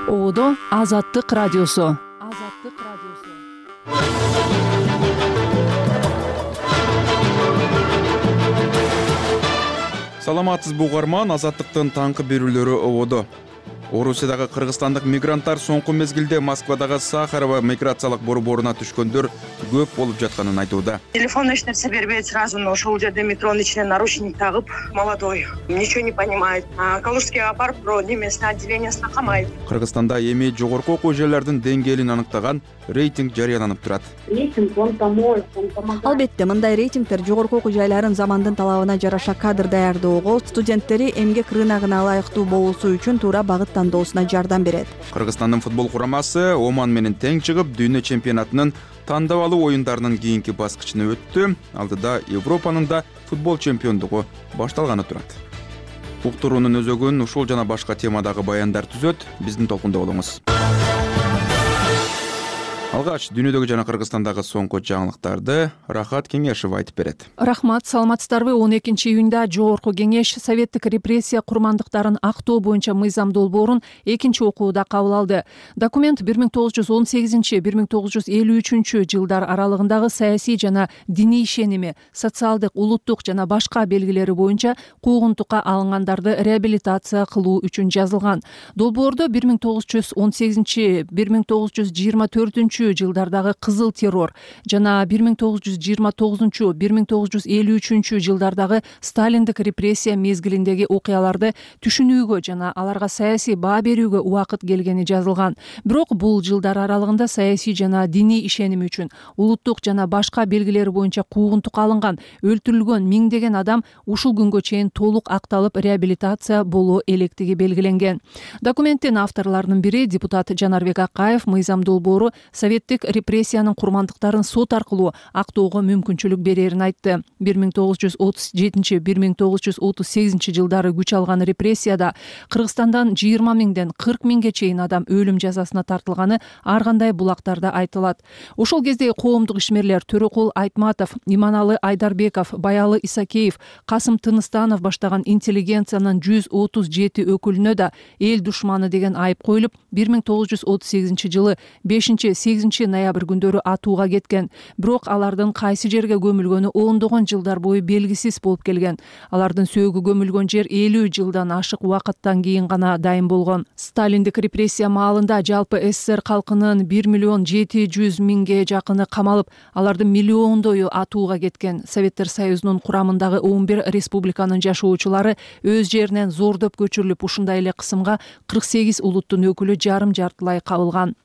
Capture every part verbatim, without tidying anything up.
Ободо Азаттык радиосу. Азаттык радиосу. Саламатсызбы угарман, Азаттыктын таңкы берүүлөрү ободо. Орусиядагы кыргызстандык мигранттар соңку мезгилде Москвадагы Сахарова миграциялык борборуна түшкөндөр көп болуп жатканын айтууда. Телефон эч нерсе бербейт сразу, но ошол жерде метронун ичине наручник тагып, молодой, ничего не понимает. А Калужскийге апарып, бирөө немесине отделениясына камайт. Кыргызстанда эми жогорку окуу жайлардын деңгээлин аныктаган рейтинг жарыяланып турат. Рейтинг он поможет, он помогает. Албетте, мындай рейтингдер жогорку окуу жайларын замандын талабына жараша кадр даярдоого, студенттери эмгек рыногуна ылайыктуу болуусу үчүн туура багыт тандоосуна жардам берет. Кыргызстандын футбол курамасы Оман менен тең чыгып, дүйнө чемпионатынын тандабалуу оюндарынын кийинки баскычына өттү. Алдыда Европанын да футбол чемпиондугу башталганы турат. Уктуруунун өзөгүн ушул жана башка темадагы баяндар түзөт. Биздин толкунда болуңуз. Алгач дүйнөдөгү жана Кыргызстандагы соңку жаңылыктарды Рахат Кеңешев айтып берет. Рахмат, саламатсыздарбы? он экинчи июнда жогорку кеңеш советтик репрессия курмандыктарын актоо боюнча мыйзам долбоорун экинчи окууда кабыл алды. Документ бир миң тогуз жүз он сегизинчи — бир миң тогуз жүз элүү үчүнчү жылдар аралыгындагы саясий жана диний ишеними, социалдык, улуттук жана башка белгилери боюнча куугунтукка алынгандарды реабилитация кылуу үчүн жазылган. Долбоордо бир миң тогуз жүз он сегизинчи — бир миң тогуз жүз жыйырма төртүнчү жылдардагы кызыл террор жана бир миң тогуз жүз жыйырма тогузунчу — бир миң тогуз жүз элүү үчүнчү жылдардагы сталиндик репрессия мезгилиндеги окуяларды түшүнүүгө жана аларга саясий баа берүүгө убакыт келгени жазылган. Бирок бул жылдар аралыгында саясий жана диний ишеними үчүн, улуттук жана башка белгилери боюнча куугунтукка алынган, өлтүрүлгөн миңдеген адам ушул күнгө чейин толук акталып реабилитация боло электиги белгиленген. Документтин авторлорунун бири депутат Жанарбек Акаев мыйзам долбоору советтик репрессиянын курмандыктарын сот аркылуу актоого мүмкүнчүлүк берерин айтты. бир миң тогуз жүз отуз жетинчи — бир миң тогуз жүз отуз сегизинчи жылдары күч алган репрессияда Кыргызстандан жыйырма миңден кырк миңге чейин адам өлүм жазасына тартылганы ар кандай булактарда айтылат. Ошол кезде коомдук ишмерлер Төрөкул Айтматов, Иманалы Айдарбеков, Баялы Исакеев, Касым Тыныстанов баштаган интеллигенциянын жүз отуз жети өкүлүнө да эл душманы деген айып коюлуп, бир миң тогуз жүз отуз сегизинчи жылы бешинчи — сегизинчи ноябрь күндөрү атууга кеткен. Бирок алардын кайсы жерге көмүлгөнү ондогон жылдар бою белгисиз болуп келген. Алардын сөөгү көмүлгөн жер элүү жылдан ашык убакыттан кийин гана дайын болгон. Сталиндик репрессия маалында жалпы СССР калкынын бир миллион жети жүз миңге жакыны камалып, алардын миллиондою атууга кеткен. Советтер Союзунун курамындагы он бир республиканын жашоочулары өз жеринен зордоп көчүрүлүп, ушундай эле кысымга кырк сегиз улуттун өкүлү жарым-жартылай кабылган.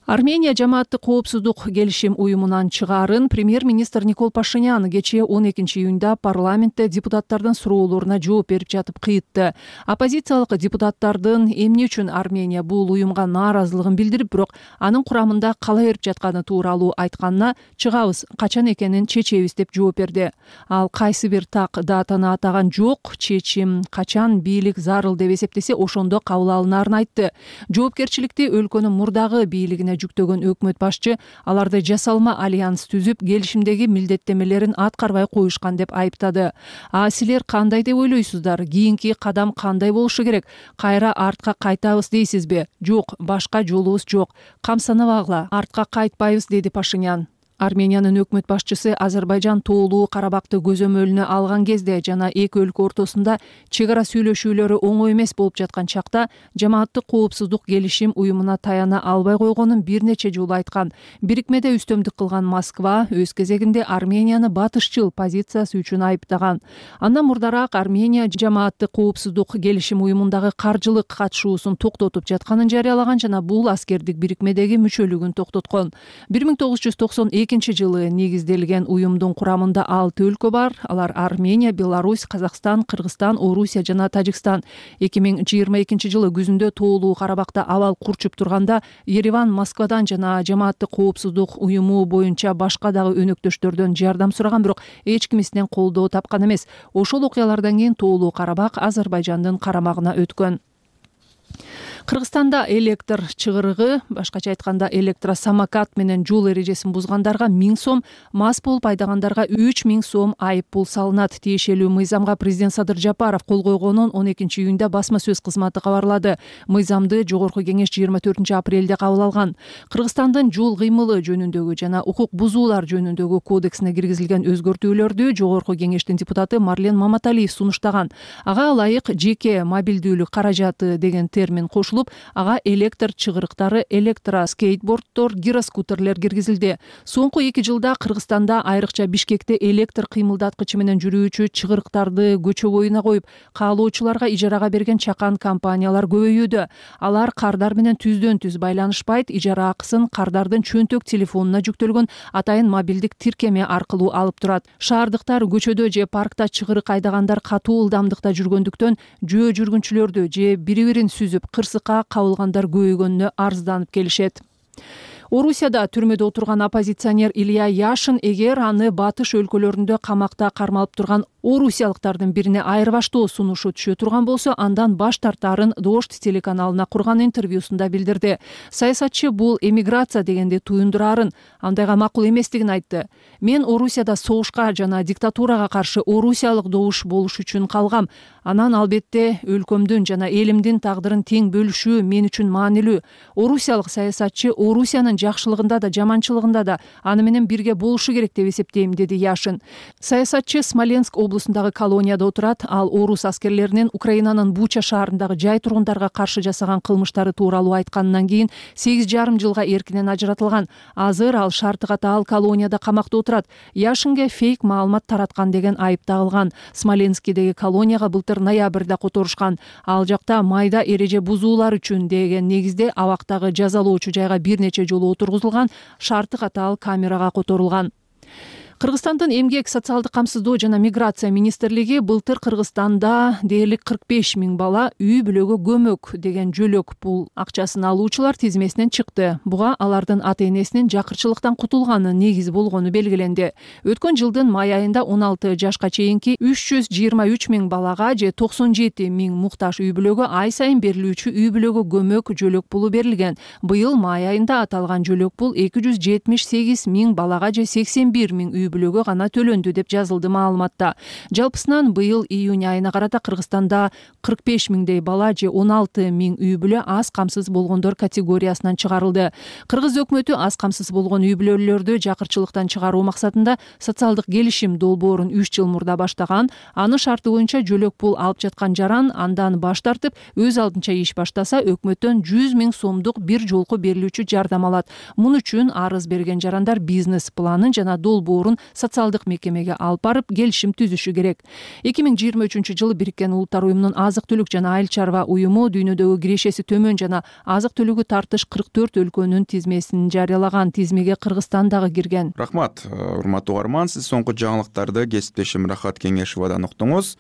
Армения жамааттык коопсуздук келишим уюмунан чыгаарын премьер-министр Никол Пашинян кечээ он экинчи июнда парламентте депутаттардын суроолоруна жооп берип жатып кыйтты. Оппозициялык депутаттардын эмне үчүн Армения бул уюмга нааразылыгын билдирип, бирок анын курамында кала берип жатканы тууралуу айтканына чыгабыз, качан экенин чечебиз деп жооп берди. Ал кайсы бир так датаны атаган жок, чечим качан бийлик зарыл деп эсептесе ошондо кабыл алынарын айтты. Жоопкерчиликти өлкөнүн мурдагы бийлигине жүктөгөн өкмөт башчы аларды жасалма альянс түзүп, келишимдеги милдеттемелерин аткарбай коюшкан деп айыптады. А силер кандай деп ойлойсуздар? Кийинки кадам кандай болушу керек? Кайра артка кайтабыз дейсизби? Жок, башка жолубуз жок. Камсанабагыла, артка кайтпайбыз, деди Пашинян. Армениянын өкмөт башчысы Азербайжан тоолуу Карабакты көзөмөлүнө алган кезде жана эки өлкө ортосунда чек ара сүйлөшүүлөрү оңой эмес болуп жаткан чакта жамааттык коопсуздук келишим уюмуна таяна албай койгонун бир нече жолу айткан. Бирикмеде үстөмдүк кылган Москва өз кезегинде Арменияны батышчыл позициясы үчүн айыптаган. Андан мурдараак Армения жамааттык коопсуздук келишим уюмундагы каржылык катышуусун токтотуп жатканын жарыялаган жана бул аскердик бирикмедеги мүчөлүгүн токтоткон. бир миң тогуз жүз токсон экинчи жылы негизделген уюмдун курамында алты өлкө бар. Алар Армения, Беларусь, Казакстан, Кыргызстан, Орусия жана Тажикстан. эки миң жыйырма экинчи жылы күзүндө тоолуу Карабакта абал курчуп турганда Ереван Москвадан жана жамааттык коопсуздук уюму боюнча башка дагы өнөктөштөрдөн жардам сураган, бирок эч кимисинен колдоо тапкан эмес. Ошол окуялардан кийин тоолуу Карабак Азербайжандын карамагына өткөн. Кыргызстанда электр чыгырыгы, башкача айтканда электросамокат менен жол эрежесин бузгандарга миң сом, мас болуп айдагандарга үч миң сом айып пул салынат. Тиешелүү мыйзамга президент Садыр Жапаров кол койгонун он экинчи июнда басма сөз кызматы кабарлады. Мыйзамды жогорку кеңеш жыйырма төртүнчү апрелде кабыл алган. Кыргызстандын жол кыймылы жөнүндөгү жана укук бузуулар жөнүндөгү кодексине киргизилген өзгөртүүлөрдү жогорку кеңештин депутаты Марлен Маматалиев сунуштаган. Ага ылайык жеке мобилдүүлүк каражаты деген термин кошулуп, ага электр чыгырыктары, электроскейтборддор, гироскутерлер киргизилди. Соңку эки жылда Кыргызстанда, айрыкча Бишкекте электр кыймылдаткычы менен жүрүүчү чыгырыктарды көчө боюна коюп, каалоочуларга ижарага берген чакан компаниялар көбөйүүдө. Алар кардар менен түздөн түз байланышпайт, ижара акысын кардардын чөнтөк телефонуна жүктөлгөн атайын мобилдик тиркеме аркылуу алып турат. Шаардыктар көчөдө же паркта чыгырык айдагандар катуу ылдамдыкта жүргөндүктөн жөө жүргүнчүлөрдү же бири-бирин сүзүп кырсыкка кабылгандар көбөйгөнүнө арызданып келишет. Орусияда түрмөдө отурган оппозиционер Илья Яшин эгер аны батыш өлкөлөрүндө камакта кармалып турган орусиялыктардын бирине айырбаштоо сунушу түшө турган болсо, андан баш тартаарын Дождь телеканалына курган интервьюсунда билдирди. Саясатчы бул эмиграция дегенди туюндурарын, андайга макул эместигин айтты. Мен Орусияда согушка жана диктатурага каршы орусиялык добуш болуш үчүн калгам. Анан албетте өлкөмдүн жана элимдин тагдырын тең бөлүшүү мен үчүн маанилүү. Орусиялык саясатчы Орусиянын жакшылыгында да жаманчылыгында да аны менен бирге болушу керек деп эсептейм, деди Яшин. Саясатчы Смоленск облусундагы колонияда отурат. Ал орус аскерлеринин Украинанын Буча шаарындагы жай тургундарга каршы жасаган кылмыштары тууралуу айткандан кийин сегиз жарым жылга эркинен ажыратылган. Азыр ал шарты катаал колонияда камакта отурат. Яшинге фейк маалымат тараткан деген айып тагылган. Смоленскидеги колонияга былтыр ноябрда которушкан. Ал жакта майда эреже бузуулар үчүн деген негизде абактагы жазалоочу жайга бир нече жолу отургузулган, шарты катаал камерага которулган. Кыргызстандын эмгек, социалдык камсыздоо жана миграция министрлиги былтыр Кыргызстанда дээрлик кырк беш миң бала үй бүлөгө көмөк деген жөлөк пул акчасын алуучулар тизмесинен чыкты. Буга алардын ата-энесинин жакырчылыктан кутулганы негиз болгону белгиленди. Өткөн жылдын май айында он алты жашка чейинки үч жүз жыйырма үч миң балага же токсон жети миң муктаж үй бүлөгө ай сайын берилүүчү үй бүлөгө көмөк жөлөк пулу берилген. Быйыл май айында аталган жөлөк пул эки жүз жетимиш сегиз миң балага же сексен бир миң үй бүлөгө гана төлөндү деп жазылды маалыматта. Жалпысынан быйыл июнь айына карата Кыргызстанда кырк беш миңдей бала же он алты миң үй бүлө аз камсыз болгондор категориясынан чыгарылды. Кыргыз өкмөтү аз камсыз болгон үй бүлөлөрдү жакырчылыктан чыгаруу максатында социалдык келишим долбоорун үч жыл мурда баштаган. Анын шарты боюнча жөлөк пул алып жаткан жаран андан баш тартып, өз алдынча иш баштаса, өкмөттөн жүз миң сомдук бир жолку берилүүчү жардам алат. Муну үчүн арыз берген жарандар бизнес планын жана долбоорун социалдык мекемеге алып барып келишим түзүшү керек. эки миң жыйырма үчүнчү жылы Бириккен Улуттар уюмунун азык-түлүк жана айыл чарба уюму дүйнөдөгү кирешеси төмөн жана азык-түлүгү тартыш кырк төрт өлкөнүн тизмесин жарыялаган. Тизмеге Кыргызстан дагы кирген. Рахмат, урматтуу угарман, сиз соңку жаңылыктарды кесиптешим Рахат Кеңешовадан уктуңуз.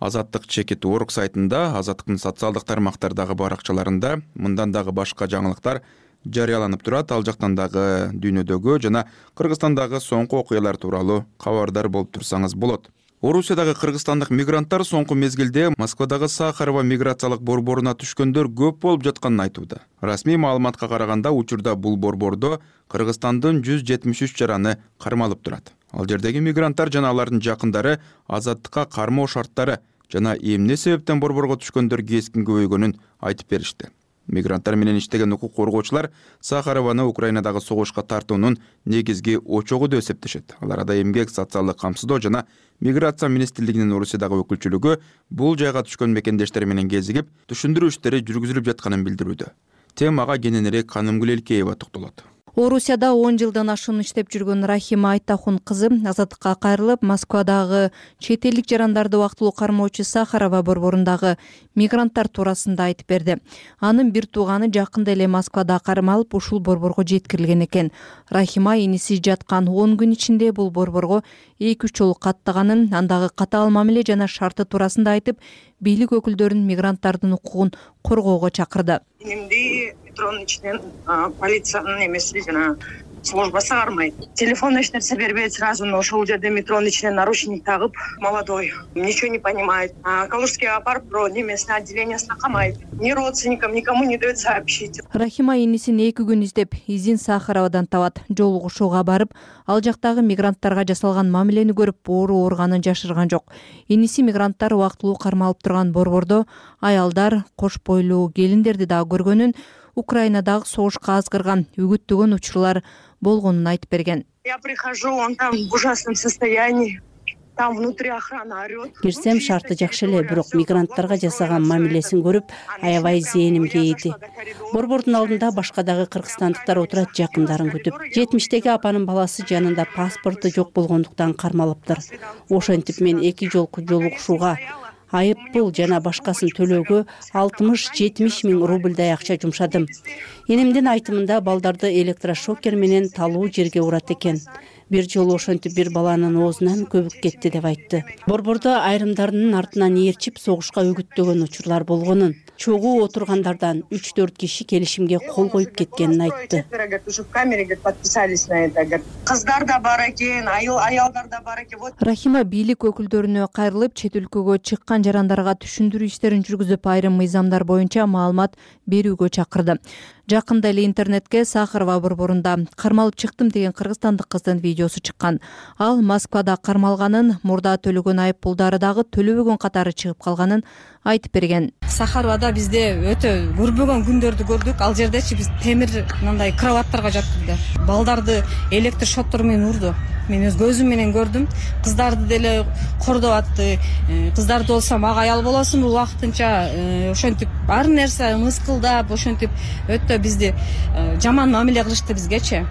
Азаттык чекит орг сайтында, Азаттыктын социалдык тармактардагы баракчаларында мындан дагы башка жаңылыктар жарыяланып турат. Ал жактан дагы дүйнөдөгү жана Кыргызстандагы соңку окуялар тууралуу кабардар болуп турсаңыз болот. Орусиядагы кыргызстандык мигранттар соңку мезгилде Москвадагы Сахарова миграциялык борборуна түшкөндөр көп болуп жатканын айтууда. Расмий маалыматка караганда, учурда бул борбордо Кыргызстандын жүз жетимиш үч жараны кармалып турат. Ал жердеги мигранттар жана алардын жакындары азаттыкка кармоо шарттары жана эмне себептен борборго түшкөндөр кескин көбөйгөнүн айтып беришти. Мигранттар менен иштеген укук коргоочулар Сахарованы Украинадагы согушка тартуунун негизги очогу деп эсептешет. Алар да эмгек, социалдык камсыздоо жана миграция министрлигинин Орусиядагы өкүлчүлүгү бул жайга түшкөн мекендештер менен кезигип, түшүндүрүү иштери жүргүзүлүп жатканын билдирүүдө. Темага кененирээк Канымгүл Элкеева токтолот. Орусияда он жылдан ашуун иштеп жүргөн Рахима Айтахун кызы азаттыкка кайрылып, Москвадагы чет элдик жарандарды убактылуу кармоочу Сахарова борборундагы мигранттар туурасында айтып берди. Анын бир тууганы жакында эле Москвада кармалып, ушул борборго жеткирилген экен. Рахима иниси жаткан он күн ичинде бул борборго эки үч жолу каттаганын, андагы катаал мамиле жана шарты туурасында айтып, бийлик өкүлдөрүн мигранттардын укугун коргоого чакырды. Метронун ичинен полициянын эмеси жана службасы кармайт. Телефон эч нерсе бербейт, сразу ошол жерде метронун ичине наручник тагып, молодой, ничего не понимает. А Калужскийге апарып, бирөө немесине отделениясына камайт. Ни родственникам, никому не дает сообщить. Рахима инисин эки күн издеп, изин Сахаровадан табат. Жолугушууга барып, ал жактагы мигранттарга жасалган мамилени көрүп, оору ооруганын жашырган жок. Иниси мигранттар убактылуу кармалып турган борбордо аялдар, кош бойлуу келиндерди дагы көргөнүн, Украинадагы согушка азгырган, үгүттөгөн учурлар болгонун айтып берген. Я прихожу, он там в ужасном состоянии. Там внутри охрана орёт. Кирсем шарты жакшы эле, бирок мигранттарга жасаган мамилесин көрүп, аябай зээнимге ийди. Борбордун алдында башка дагы кыргызстандыктар отурат, жакындарын күтүп. жетимиштеги апанын баласы жанында паспорту жок болгондуктан кармалыптыр. Ошентип мен эки жолку жолугушууга, айып пул жана башкасын төлөөгө алтымыш жетимиш миң рубльдай акча жумшадым. Энемдин айтымында балдарды электрошокер менен талуу жерге урат экен. Бир жолу ошентип бир баланын оозунан көбүк кетти деп айтты. Борбордо айрымдарынын артынан ээрчип согушка үгүттөгөн учурлар болгонун, чогуу отургандардан үч төрт киши келишимге кол коюп кеткенин айтты. Кыздар да бар экен, аялдар да бар экен. Рахима бийлик өкүлдөрүнө кайрылып, чет өлкөгө чыккан жарандарга түшүндүрүү иштерин жүргүзүп, айрым мыйзамдар боюнча маалымат берүүгө чакырды. Жакында эле интернетке Сахарова борборунда кармалып чыктым деген кыргызстандык кыздын видеосу чыккан. Ал Москвада кармалганын, мурда төлөгөн айып пулдары дагы төлөбөгөн катары чыгып калганын айтып берген. Сахаровада бизде өтө көрбөгөн күндөрдү көрдүк. Ал жердечи биз темир мындай кроваттарга жаттык. Балдарды электр шоттор менен урду. Мен өз көзүм менен көрдүм. Кыздарды деле кордоп атты. Кыздарды болсо мага аял болосуңбу убактынча ошентип ар нерсе мыскылдап, ошентип өтө бизди жаман мамиле кылышты бизгечи.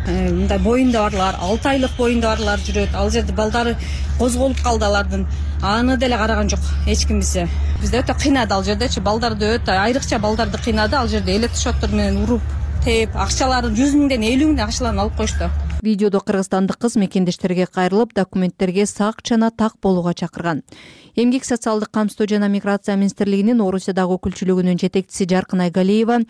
Мындай боюнда барлар, алты айлык боюнда барлар жүрөт. Ал жерде балдары козголуп калды алардын. Аны деле караган жок эч ким бизе. Бизде өтө кыйнады ал жердечи, балдарды өтө айрыкча балдарды кыйнады. Ал жерде электрошоттор менен уруп, теп, акчаларын жүз миңден элүү миңден акчаларын алып коюшту. Видеодо кыргызстандык кыз мекендештерге кайрылып, документтерге сак жана так болууга чакырган. Эмгек социалдык камсыздоо жана миграция министрлигинин Орусиядагы өкүлчүлүгүнүн жетекчиси Жаркын Айгалиева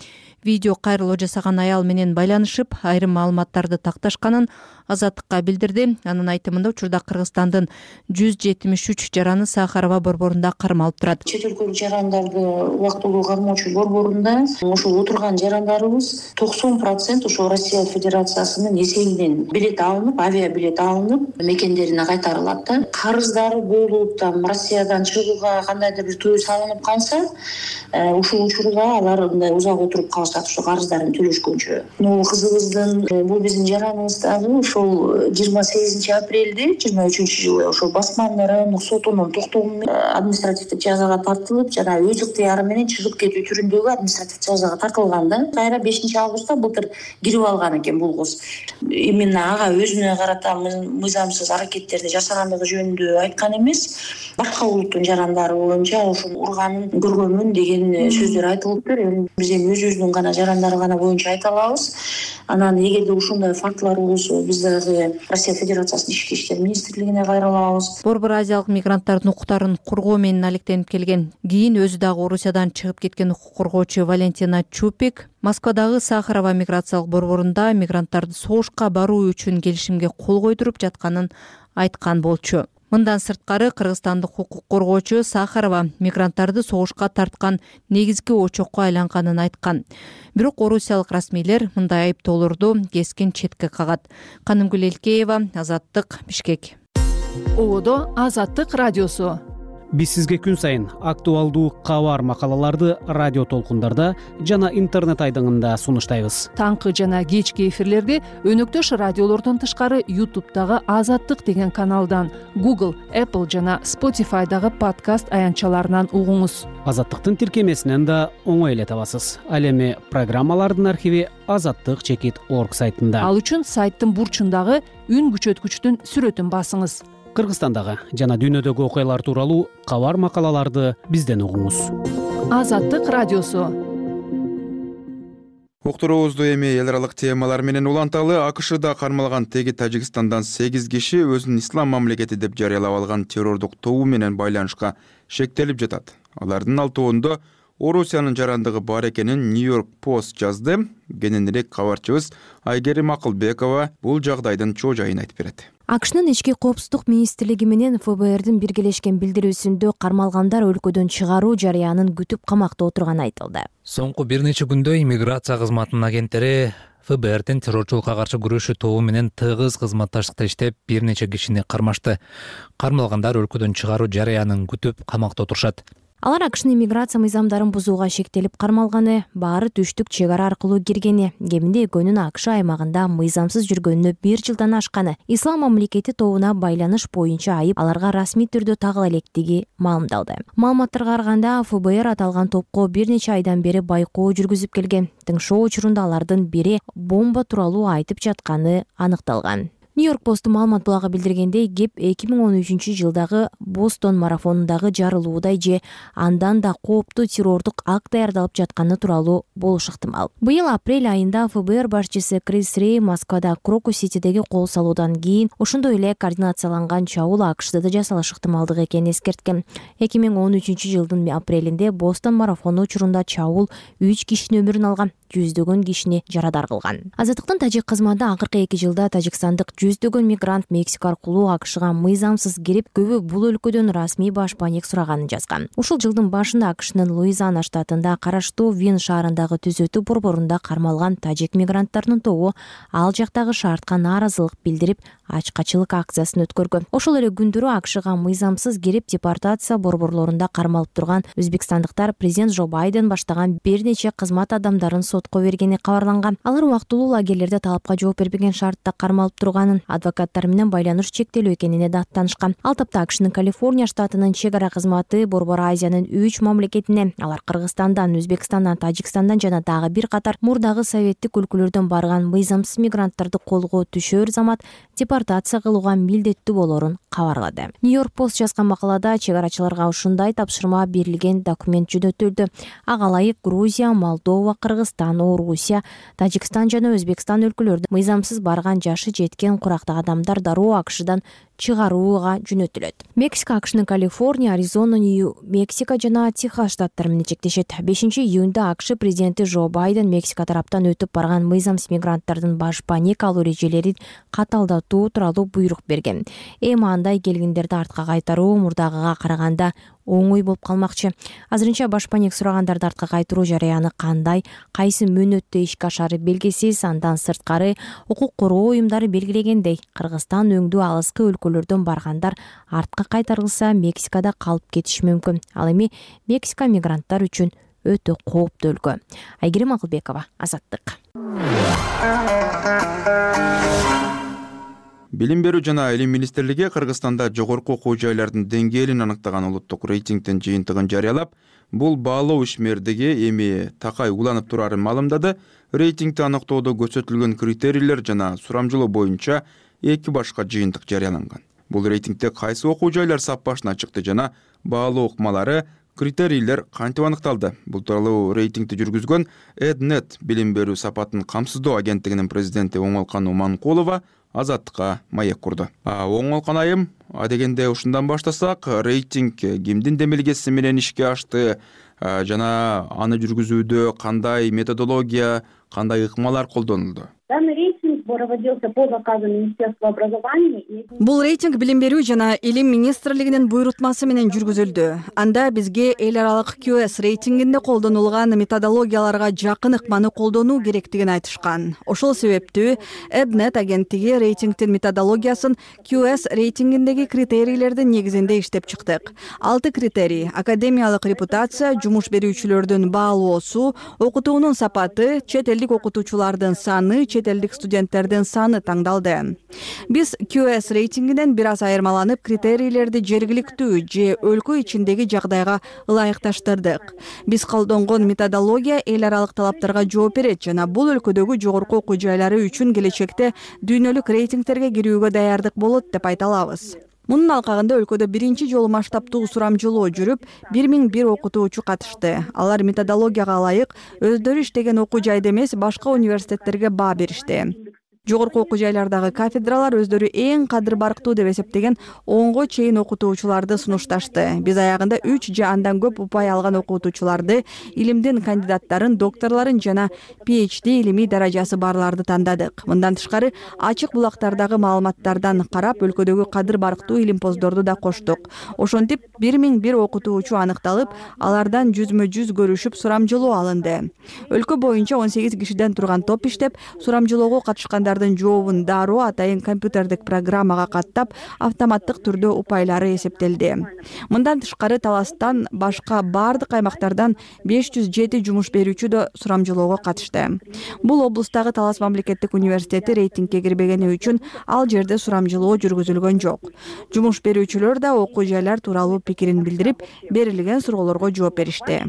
видео кайрылуу жасаган аял менен байланышып, айрым маалыматтарды такташканын Азаттыкка билдирди. Анын айтымында учурда Кыргызстандын жүз жетимиш үч жараны Сахарова борборунда кармалып турат. Чет өлкөлүк жарандарды убактылуу кармоочу борборунда ошол отурган жарандарыбыз токсон процент ошо Россия Федерациясынын эсебинен билет алынып, авиа билет алынып, мекендерине кайтарылат да. Карыздары болуп, там Россиядан чыгууга кандайдыр бир тыюу салынып калса, ушул учурда алар мындай узак отуруп калышат, ошо карыздарын төлөшкөнчө. Могу кызыбыздын, бул биздин жараныбыз дагы ошол жыйырма сегизинчи апрелде жыйырма үчүнчү жылы ошол Басман райондук сотунун токтому менен административдик жазага тартылып, жана өз ыктыяры менен чыгып кетүү түрүндөгү административдик жазага тартылган да. Кайра бешинчи августта былтыр кирип алган экен бул кыз. Именно ага өзүнө карата мыйзамсыз аракеттерди жасагандыгы жөнүндө айткан эмес, башка улуттун жарандары боюнча ошол урганын көргөнмүн деген сөздөр айтылыптыр. Эми биз эми өзүбүздүн гана жарандары гана боюнча айта алабыз. Анан эгерде ушундай фактылар болсо, биз дагы Россия Федерациясынын ички иштер министрлигине кайрылабыз. Борбор азиялык мигранттардын укуктарын коргоо менен алектенип келген, кийин өзү дагы Орусиядан чыгып кеткен укук коргоочу Валентина Чупик Москвадагы Сахарова миграциялык борборунда мигранттарды согушка баруу үчүн келишимге кол койдуруп жатканын айткан болчу. Мындан сырткары кыргызстандык укук коргоочу Сахарова мигранттарды согушка тарткан негизги очокко айланганын айткан. Бирок орусиялык расмийлер мындай айыптоолорду кескин четке кагат. Канымгүл Элкеева, Азаттык, Бишкек. Ободо Азаттык радиосу. Биз сизге күн сайын актуалдуу кабар макалаларды радио толкундарда жана интернет айдыңында сунуштайбыз. Таңкы жана кечки эфирлерди өнөктөш радиолордон тышкары YouTube'дагы Азаттык деген каналдан, Google, Apple жана Spotify'дагы подкаст аянтчаларынан угуңуз. Азаттыктын тиркемесинен да оңой эле табасыз. Ал эми программалардын архиви азаттык чекит орг сайтында. Ал үчүн сайттын бурчундагы үн күчөткүчтүн сүрөтүн басыңыз. Кыргызстандагы жана дүйнөдөгү окуялар тууралуу кабар макалаларды бизден угуңуз. Азаттык радиосу. Уктуруубузду эми эл аралык темалар менен уланталы. АКШда кармалган теги Тажикстандан сегиз киши өзүн ислам мамлекети деп жарыялап алган террордук тобу менен байланышка шектелип жатат. Алардын алтоосунда Орусиянын жарандыгы бар экенин Нью-Йорк Post жазды. Кененирээк кабарчыбыз Айгерим Акылбекова бул жагдайдын чоо жайын айтып берет. АКШнын ички коопсуздук министрлиги менен ФБРдин биргелешкен билдирүүсүндө кармалгандар өлкөдөн чыгаруу жарыянын күтүп камакта отурганы айтылды. Соңку бир нече күндө иммиграция кызматынын агенттери ФБРдин террорчулукка каршы күрөшүү тобу менен тыгыз кызматташтыкта иштеп бир нече кишини кармашты. Кармалгандар өлкөдөн чыгаруу жарыянын күтүп камакта отурушат. Алар АКШнын иммиграция мыйзамдарын бузууга шектелип кармалганы, баары түштүк чек ара аркылуу киргени, кеминде экөөнүн АКШ аймагында мыйзамсыз жүргөнүнө бир жылдан ашканы, ислам мамлекети тобуна байланыш боюнча айып аларга расмий түрдө тагыла электиги маалымдалды. Маалыматтарга караганда ФБР аталган топко бир нече айдан бери байкоо жүргүзүп келген. Тыңшоо учурунда алардын бири бомба тууралуу айтып жатканы аныкталган. Нью-Йорк Посту маалымат булагы билдиргендей, кеп эки миң он үчүнчү жылдагы Бостон марафонундагы жарылуудай же андан да кооптуу террордук акт даярдалып жатканы тууралуу болушу ыктымал. Быйыл апрель айында ФБР башчысы Крис Рей Москвада Крокус-Ситидеги кол салуудан кийин ошондой эле координацияланган чабуул АКШда да жасалышы ыктымалдык экенин эскерткен. эки миң он үчүнчү жылдын апрелинде Бостон марафону учурунда чабуул үч кишинин өмүрүн алган, жүздөгөн кишини жарадар кылган. Азаттыктын тажик кызматы акыркы эки жылда тажикстандык жүздөгөн мигрант Мексика аркылуу АКШга мыйзамсыз кирип, көбү бул өлкөдөн расмий башпаник сураганын жазган. Ушул жылдын башында АКШнын Луизиана штатында караштуу Вин шаарындагы түзөтүү борборунда кармалган тажик мигранттарынын тобу ал жактагы шартка нааразылык билдирип, ачкачылык акциясын өткөргөн. Ошол эле күндөрү АКШга мыйзамсыз кирип депортация борборлорунда кармалып турган өзбекстандыктар президент Джо Байден баштаган бир нече кызмат адамдарын сотко бергени кабарланган. Алар убактылуу лагерлерде талапка жооп бербеген шартта кармалып турганын, адвокаттар менен байланыш чектелүү экенине да аттанышкан. Ал тапта АКШнын Калифорния штатынын чек ара кызматы Борбор Азиянын үч мамлекетине, алар Кыргызстандан, Өзбекстандан, Тажикстандан жана дагы бир катар мурдагы советтик өлкөлөрдөн барган мыйзамсыз мигранттарды колго түшөр замат депортация кылууга милдеттүү болорун кабарлады. Нью-Йорк Пост жазган макалада чек арачыларга ушундай тапшырма берилген документ жөнөтүлдү. Ага ылайык Грузия, Молдова, Кыргызстан, Орусия, Тажикстан жана Өзбекстан өлкөлөрдө мыйзамсыз барган жашы жеткен курактагы адамдар дароо АКШдан чыгарууга жөнөтүлөт. Мексика АКШнын Калифорния, Аризона, Нью-Мексико жана Техас штаттары менен чектешет. бешинчи июнда АКШ президенти Джо Байден Мексика тараптан өтүп барган мыйзамсыз мигранттардын башпаник алуу эрежелерин каталдатуу тууралуу буйрук берген. Эми андай келгендерди артка кайтаруу мурдагыга караганда оңой болуп калмакчы. Азырынча башпаник сурагандарды артка кайтыруу жарыяны кандай, кайсы мөөнөттө ишке ашары белгисиз. Андан сырткары укук коргоо уюмдары белгилегендей, Кыргызстан өңдүү алыскы өлкөлөрдөн баргандар артка кайтарылса Мексикада калып кетиши мүмкүн. Ал эми Мексика мигранттар үчүн өтө кооптуу өлкө. Айгерим Акылбекова, Азаттык. Билим берүү жана илим министрлиги Кыргызстанда жогорку окуу жайлардын деңгээлин аныктаган улуттук рейтингдин жыйынтыгын жарыялап, бул баалоо ишмердиги эми такай уланып турарын маалымдады. Рейтингди аныктоодо көрсөтүлгөн критерийлер жана сурамжылоо боюнча эки башка жыйынтык жарыяланган. Бул рейтингде кайсы окуу жайлар сап башына чыкты жана баалоо ыкмалары, критерийлер кантип аныкталды? Бул тууралуу рейтингди жүргүзгөн Эднет билим берүү сапатын камсыздоо агенттигинин президенти Оңолкан Уманкулова Азаттыкка маек курду. Оңолкан айым, адегенде ушундан баштасак, рейтинг кимдин демилгеси менен ишке ашты жана аны жүргүзүүдө кандай методология, кандай ыкмалар колдонулду? Данный рейтинг проводился по заказу Министерства образования. Бул рейтинг билим берүү жана илим министрлигинин буйрутмасы менен жүргүзүлдү. Анда бизге эл аралык Q S рейтингинде колдонулган методологияларга жакын ыкманы колдонуу керектигин айтышкан. Ошол себептүү Эднет агенттиги рейтингдин методологиясын Q S рейтингиндеги критерийлердин негизинде иштеп чыктык. Алты критерий: академиялык репутация, жумуш берүүчүлөрдүн баалоосу, окутуунун сапаты, чет элдик окутуучулардын саны, чет элдик студенттердин саны таңдалды. Биз Q S рейтингинен бир аз айырмаланып, критерийлерди жергиликтүү же өлкө ичиндеги жагдайга ылайыкташтырдык. Биз колдонгон методология эл аралык талаптарга жооп берет жана бул өлкөдөгү жогорку окуу жайлары үчүн келечекте дүйнөлүк рейтингтерге кирүүгө даярдык болот деп айта алабыз. Мунун алкагында өлкөдө биринчи жолу масштабтуу сурамжылоо жүрүп, бир миң бир окутуучу катышты. Алар методологияга ылайык өздөрү иштеген окуу жайда эмес, башка университеттерге баа беришти. Жогорку окуу жайлардагы кафедралар өздөрү эң кадыр барктуу деп эсептеген онго чейин окутуучуларды сунушташты. Биз аягында үч же андан көп упай алган окутуучуларды, илимдин кандидаттарын, докторлорун жана пи эйч ди илимий даражасы барларды тандадык. Мындан тышкары ачык булактардагы маалыматтардан карап өлкөдөгү кадыр барктуу илимпоздорду да коштук. Ошентип бир миң бир окутуучу аныкталып, алардан жүзмө жүз көрүшүп сурамжылоо алынды. Өлкө боюнча он сегиз кишиден турган топ иштеп, сурамжылоого катышкандардын жообун дароо атайын компьютердик программага каттап, автоматтык түрдө упайлары эсептелди. Мындан тышкары таластан башка бардык аймактардан беш жүз жети жумуш берүүчү да сурамжылоого катышты. Бул облустагы Талас мамлекеттик университети рейтингге кирбегени үчүн ал жерде сурамжылоо жүргүзүлгөн жок. Жумуш берүүчүлөр да окуу жайлар тууралуу пикирин билдирип, берилген суроолорго жооп беришти.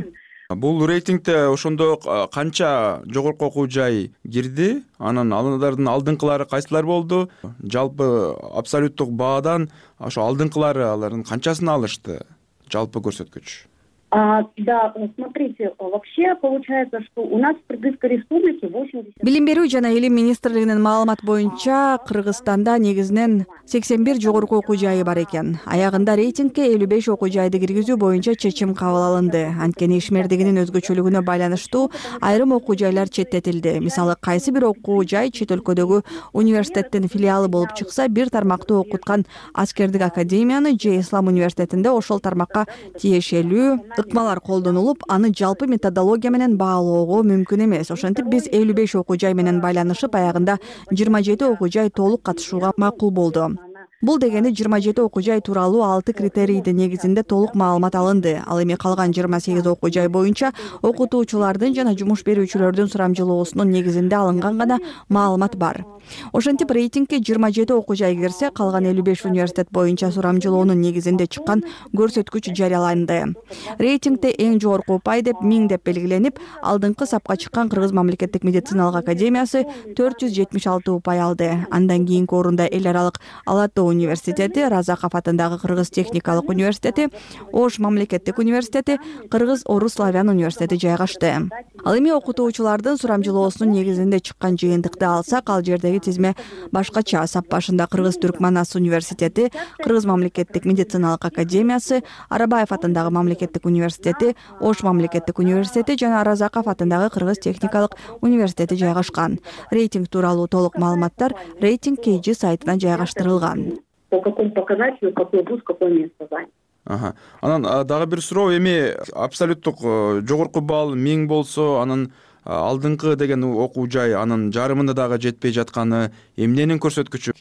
Бул рейтингде ошондо канча жогорку окуу жай кирди? Анан алардын алдыңкылары кайсылар болду? Жалпы абсолюттук баадан ошо алдыңкылары алардын канчасын алышты? Жалпы көрсөткүч. А, да, смотрите, вообще получается, что у нас в Кыргызской республике восемьдесят... Билим берүү жана илим министрлигинин маалымат боюнча Кыргызстанда негизинен сексен бир жогорку окуу жайы бар экен. Аягында рейтингге элүү беш окуу жайды киргизүү боюнча чечим кабыл алынды. Анткени ишмердигинин өзгөчөлүгүнө байланыштуу айрым окуу жайлар четтетилди. Мисалы, кайсы бир окуу жай чет өлкөдөгү университеттин филиалы болуп чыкса, бир тармакты окуткан аскердик академияны же Ислам университетинде ошол тармакка тиешелүү ыкмалар колдонулуп, аны жалпы методология менен баалоого мүмкүн эмес. Ошентип биз элүү беш окуу жай менен байланышып, аягында жыйырма жети окуу жай толук катышууга макул болду. Бул дегени жыйырма жети окуу жай тууралуу алты критерийдин негизинде толук маалымат алынды. Ал эми калган жыйырма сегиз окуу жай боюнча окутуучулардын жана жумуш берүүчүлөрдүн сурамжылоосунун негизинде алынган гана маалымат бар. Ошентип рейтингге жыйырма жети окуу жай кирсе, калган элүү беш университет боюнча сурамжылоонун негизинде чыккан көрсөткүч жарыяланды. Рейтингде эң жогорку упай деп миң деп белгиленип, алдыңкы сапка чыккан Кыргыз мамлекеттик медициналык академиясы төрт жүз жетимиш алты упай алды. Андан кийинки орунда эл аралык Ала Тоо университети, Разаков атындагы Кыргыз техникалык университети, Ош мамлекеттик университети, Кыргыз Орус славян университети жайгашты. Ал эми окутуучулардын сурамжылоосунун негизинде чыккан жыйынтыкты алсак, ал жердеги тизме башкача. Сап башында Кыргыз Түркманас университети, Кыргыз мамлекеттик медициналык академиясы, Арабаев атындагы мамлекеттик университети, Ош мамлекеттик университети жана Разаков атындагы Кыргыз техникалык университети жайгашкан. Рейтинг тууралуу толук маалыматтар рейтинг кей джи сайтына жайгаштырылган. По какому показателю, какой вуз, какое место занят. Ага. Анан дагы бир суроо, эми абсолюттук жогорку балл миң болсо, анан алдыңкы деген окуу жай анын жарымында дагы жетпей жатканы эмненин көрсөткүчү?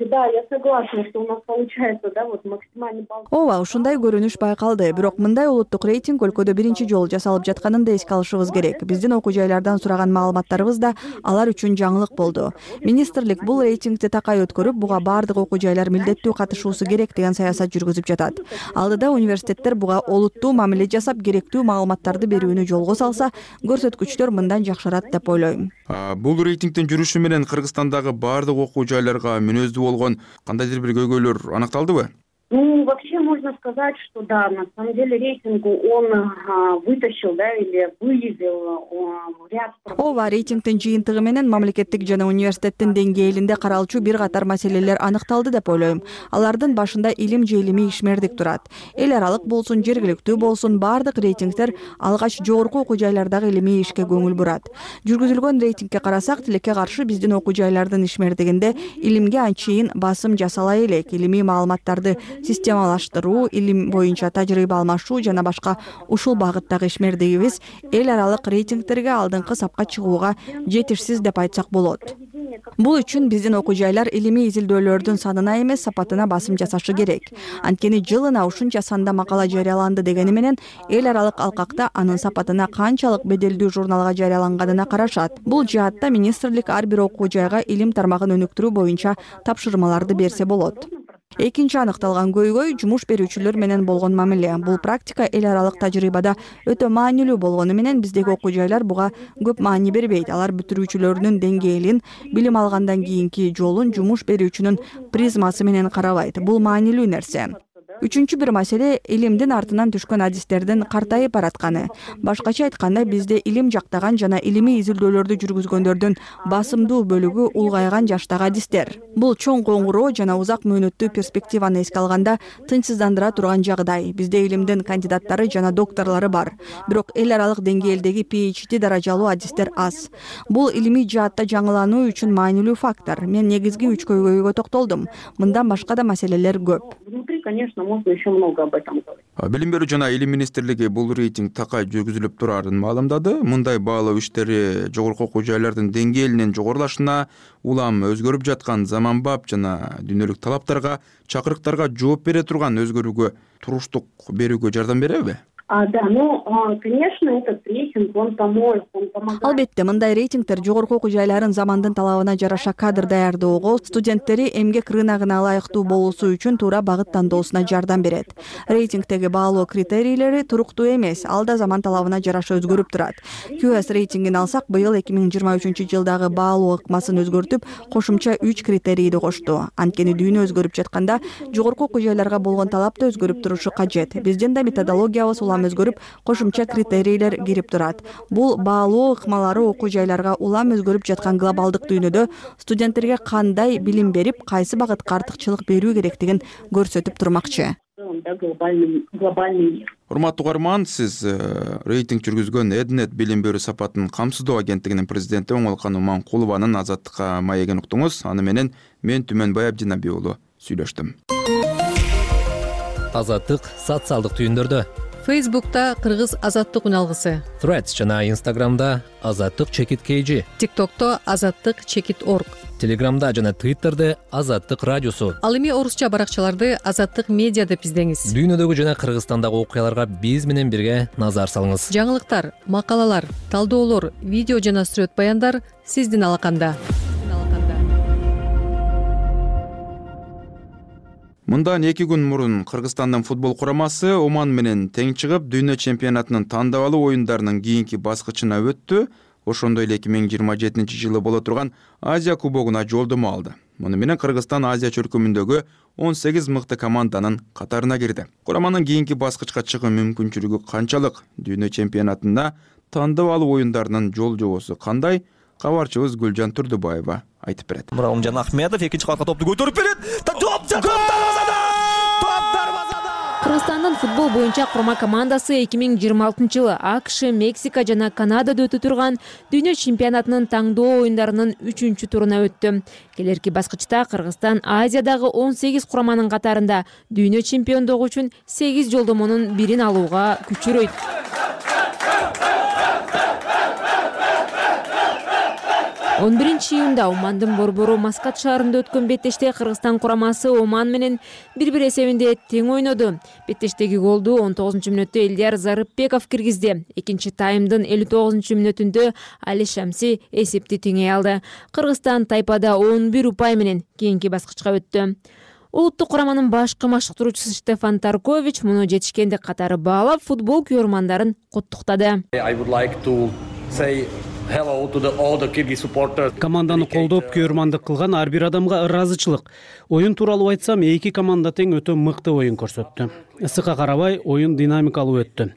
Да, я согласна, что у нас получается, да, вот максимальный балл. Ооба, ушундай көрүнүш байкалды. Бирок мындай улуттук рейтинг өлкөдө биринчи жолу жасалып жатканын да эске алышыбыз керек. Биздин окуу жайлардан сураган маалыматтарыбыз да алар үчүн жаңылык болду. Министрлик бул рейтингди такай өткөрүп, буга бардык окуу жайлар милдеттүү катышуусу керек деген саясат жүргүзүп жатат. Алдыда университеттер буга олуттуу мамиле жасап, керектүү маалыматтарды берүүнү жолго салса, көрсөткүчтөр мындан жакшырат деп ойлойм. Бул рейтингдин жүрүшү менен Кыргызстандагы бардык окуу жайларга мүнөздүү болгон кандайдыр бир көйгөйлөр аныкталдыбы? Ну, вообще можно сказать, что да, на самом деле рейтинг он а, вытащил, да, или выявил а, ряд... Ооба, рейтингдин жыйынтыгы менен мамлекеттик жана университеттин деңгээлинде каралчу бир катар маселелер аныкталды деп ойлойм. Алардын башында илим же илимий ишмердик турат. Эл аралык болсун, жергиликтүү болсун, бардык рейтингдер алгач жогорку окуу жайлардагы илимий ишке көңүл бурат. Жүргүзүлгөн рейтингке карасак, тилекке каршы биздин окуу жайлардын ишмердигинде илимге анчейин басым жасала элек. Илимий маалыматтарды системалаштыруу, илим боюнча тажрыйба алмашуу жана башка ушул багыттагы ишмердигибиз эл аралык рейтингтерге алдыңкы сапка чыгууга жетишсиз деп айтсак болот. Бул үчүн биздин окуу жайлар илимий изилдөөлөрдүн санына эмес, сапатына басым жасашы керек. Анткени жылына ушунча санда макала жарыяланды дегени менен эл аралык алкакта анын сапатына канчалык беделдүү журналга жарыяланганына карашат. Бул жаатта министрлик ар бир окуу жайга илим тармагын өнүктүрүү боюнча тапшырмаларды берсе болот. Экинчи аныкталган көйгөй жумуш берүүчүлөр менен болгон мамиле. Бул практика эл аралык тажрыйбада өтө маанилүү болгону менен биздеги окуу жайлар буга көп маани бербейт. Алар бүтүрүүчүлөрүнүн деңгээлин, билим алгандан кийинки жолун жумуш берүүчүнүн призмасы менен карабайт. Бул маанилүү нерсе. үчүнчү бир маселе илимдин артынан түшкөн адистердин картайып баратканы. Башкача айтканда, бизде илим жактаган жана илимий изилдөөлөрдү жүргүзгөндөрдүн басымдуу бөлүгү улгайган жаштагы адистер. Бул чоң коңгуроо жана узак мөөнөттүү перспективаны эске алганда тынчсыздандыра турган жагдай. Бизде илимдин кандидаттары жана докторлору бар, бирок эл аралык деңгээлдеги пи эйч ди даражалуу адистер аз. Бул илимий жаатта жаңылануу үчүн маанилүү фактор. Мен негизги үч көйгөйгө токтолдум. Мындан башка да маселелер көп. Внутри, конечно, можно еще много об этом говорить. Билим берүү жана илим министрлиги бул рейтинг такай жүргүзүлүп турарын маалымдады. Мындай баалоо иштери жогорку окуу жайлардын деңгээлинин жогорулашына, улам өзгөрүп жаткан заманбап жана дүйнөлүк талаптарга, чакырыктарга жооп бере турган өзгөрүүгө туруштук берүүгө жардам береби? А, да, ну, конечно, этот рейтинг, он поможет, он помогает. Албетте, мындай рейтингтер жогорку окуу жайларын замандын талабына жараша кадр даярдоого, студенттери эмгек рыногуна ылайыктуу болуусу үчүн туура багыт тандоосуна жардам берет. Рейтингдеги баалоо критерийлери туруктуу эмес, ал да заман талабына жараша өзгөрүп турат. кью эс рейтингин алсак, быйыл эки миң жыйырма үчүнчү жылдагы баалоо ыкмасын өзгөртүп, кошумча үч критерийди кошту. Анткени дүйнө өзгөрүп жатканда, жогорку окуу жайларга болгон талап да өзгөрүп турушу кажет. Биздин да методологиябыз өзгөрүп, кошумча критерийлер кирип турат. Бул баалоо ыкмалары окуу жайларга улам өзгөрүп жаткан глобалдык дүйнөдө студенттерге кандай билим берип, кайсы багытка артыкчылык берүү керектигин көрсөтүп турмакчы. Урматтуу угарман, сиз рейтинг жүргүзгөн Эднет билим берүү сапатын камсыздоо агенттигинин президенти Оңолкан Уманкулованын Азаттыкка маегин уктуңуз. Аны менен мен Түмөнбай Абдинабий уулу сүйлөштүм. Азаттык социалдык түйүндөрдө. Фейсбукта Кыргыз азаттык үналгысы, Threads жана Instagramда азаттык чекит kg, TikTokто азаттык чекит org, Telegramда жана Twitterде азаттык радиосу. Ал эми орусча баракчаларды азаттык медиа деп издеңиз. Дүйнөдөгү жана Кыргызстандагы окуяларга биз менен бирге назар салыңыз. Жаңылыктар, макалалар, талдоолор, видео жана сүрөт баяндар сиздин алаканда. Мындан эки күн мурун Кыргызстандын футбол курамасы Оман менен тең чыгып, дүйнө чемпионатынын тандабалуу оюндарынын кийинки баскычына өттү. Ошондой эле эки миң жыйырма жетинчи жылы боло турган Азия кубогуна жолдомо алды. Муну менен Кыргызстан Азия чөлкөмүндөгү он сегиз мыкты команданын катарына кирди. Кураманын кийинки баскычка чыгуу мүмкүнчүлүгү канчалык? Дүйнө чемпионатында тандабалуу оюндарынын жол жобосу кандай? Кабарчыбыз Гүлжан Турдубаева айтып берет. Муромжан Ахметов экинчи катка топту көтөрүп берет. Топ дарбазада! Топ дарбазада! Кыргызстандын футбол боюнча курма командасы эки миң жыйырма алтынчы жылы АКШ, Мексика жана Канадада өтө турган дүйнө чемпионатынын таңдоо оюндарынын үчүнчү туруна өттү. Келерки баскычта Кыргызстан Азиядагы он сегиз кураманын катарында дүйнө чемпиондугу үчүн сегиз жолдомонун бирин алууга күчүрөйт. он биринчи июнда Омандын борбору Маскат шаарында өткөн беттеште Кыргызстан курамасы Оман менен бир-бир эсебинде тең ойноду. Беттештеги голду он тогузунчу мүнөттө Элдияр Зарыпбеков киргизди. Экинчи таймдын элүү тогузунчу мүнөтүндө Али Шамси эсепти теңей алды. Кыргызстан тайпада он бир упай менен кийинки баскычка өттү. Улуттук кураманын башкы машыктыруучусу Штефан Таркович муну жетишкендик катары баалап, футбол күйөрмандарын куттуктады. Команданы колдоп, күйөрмандык кылган ар бир адамга ыраазычылык. Оюн тууралуу айтсам, эки команда тең өтө мыкты оюн көрсөттү. Ысыкка карабай, оюн динамикалуу өттү.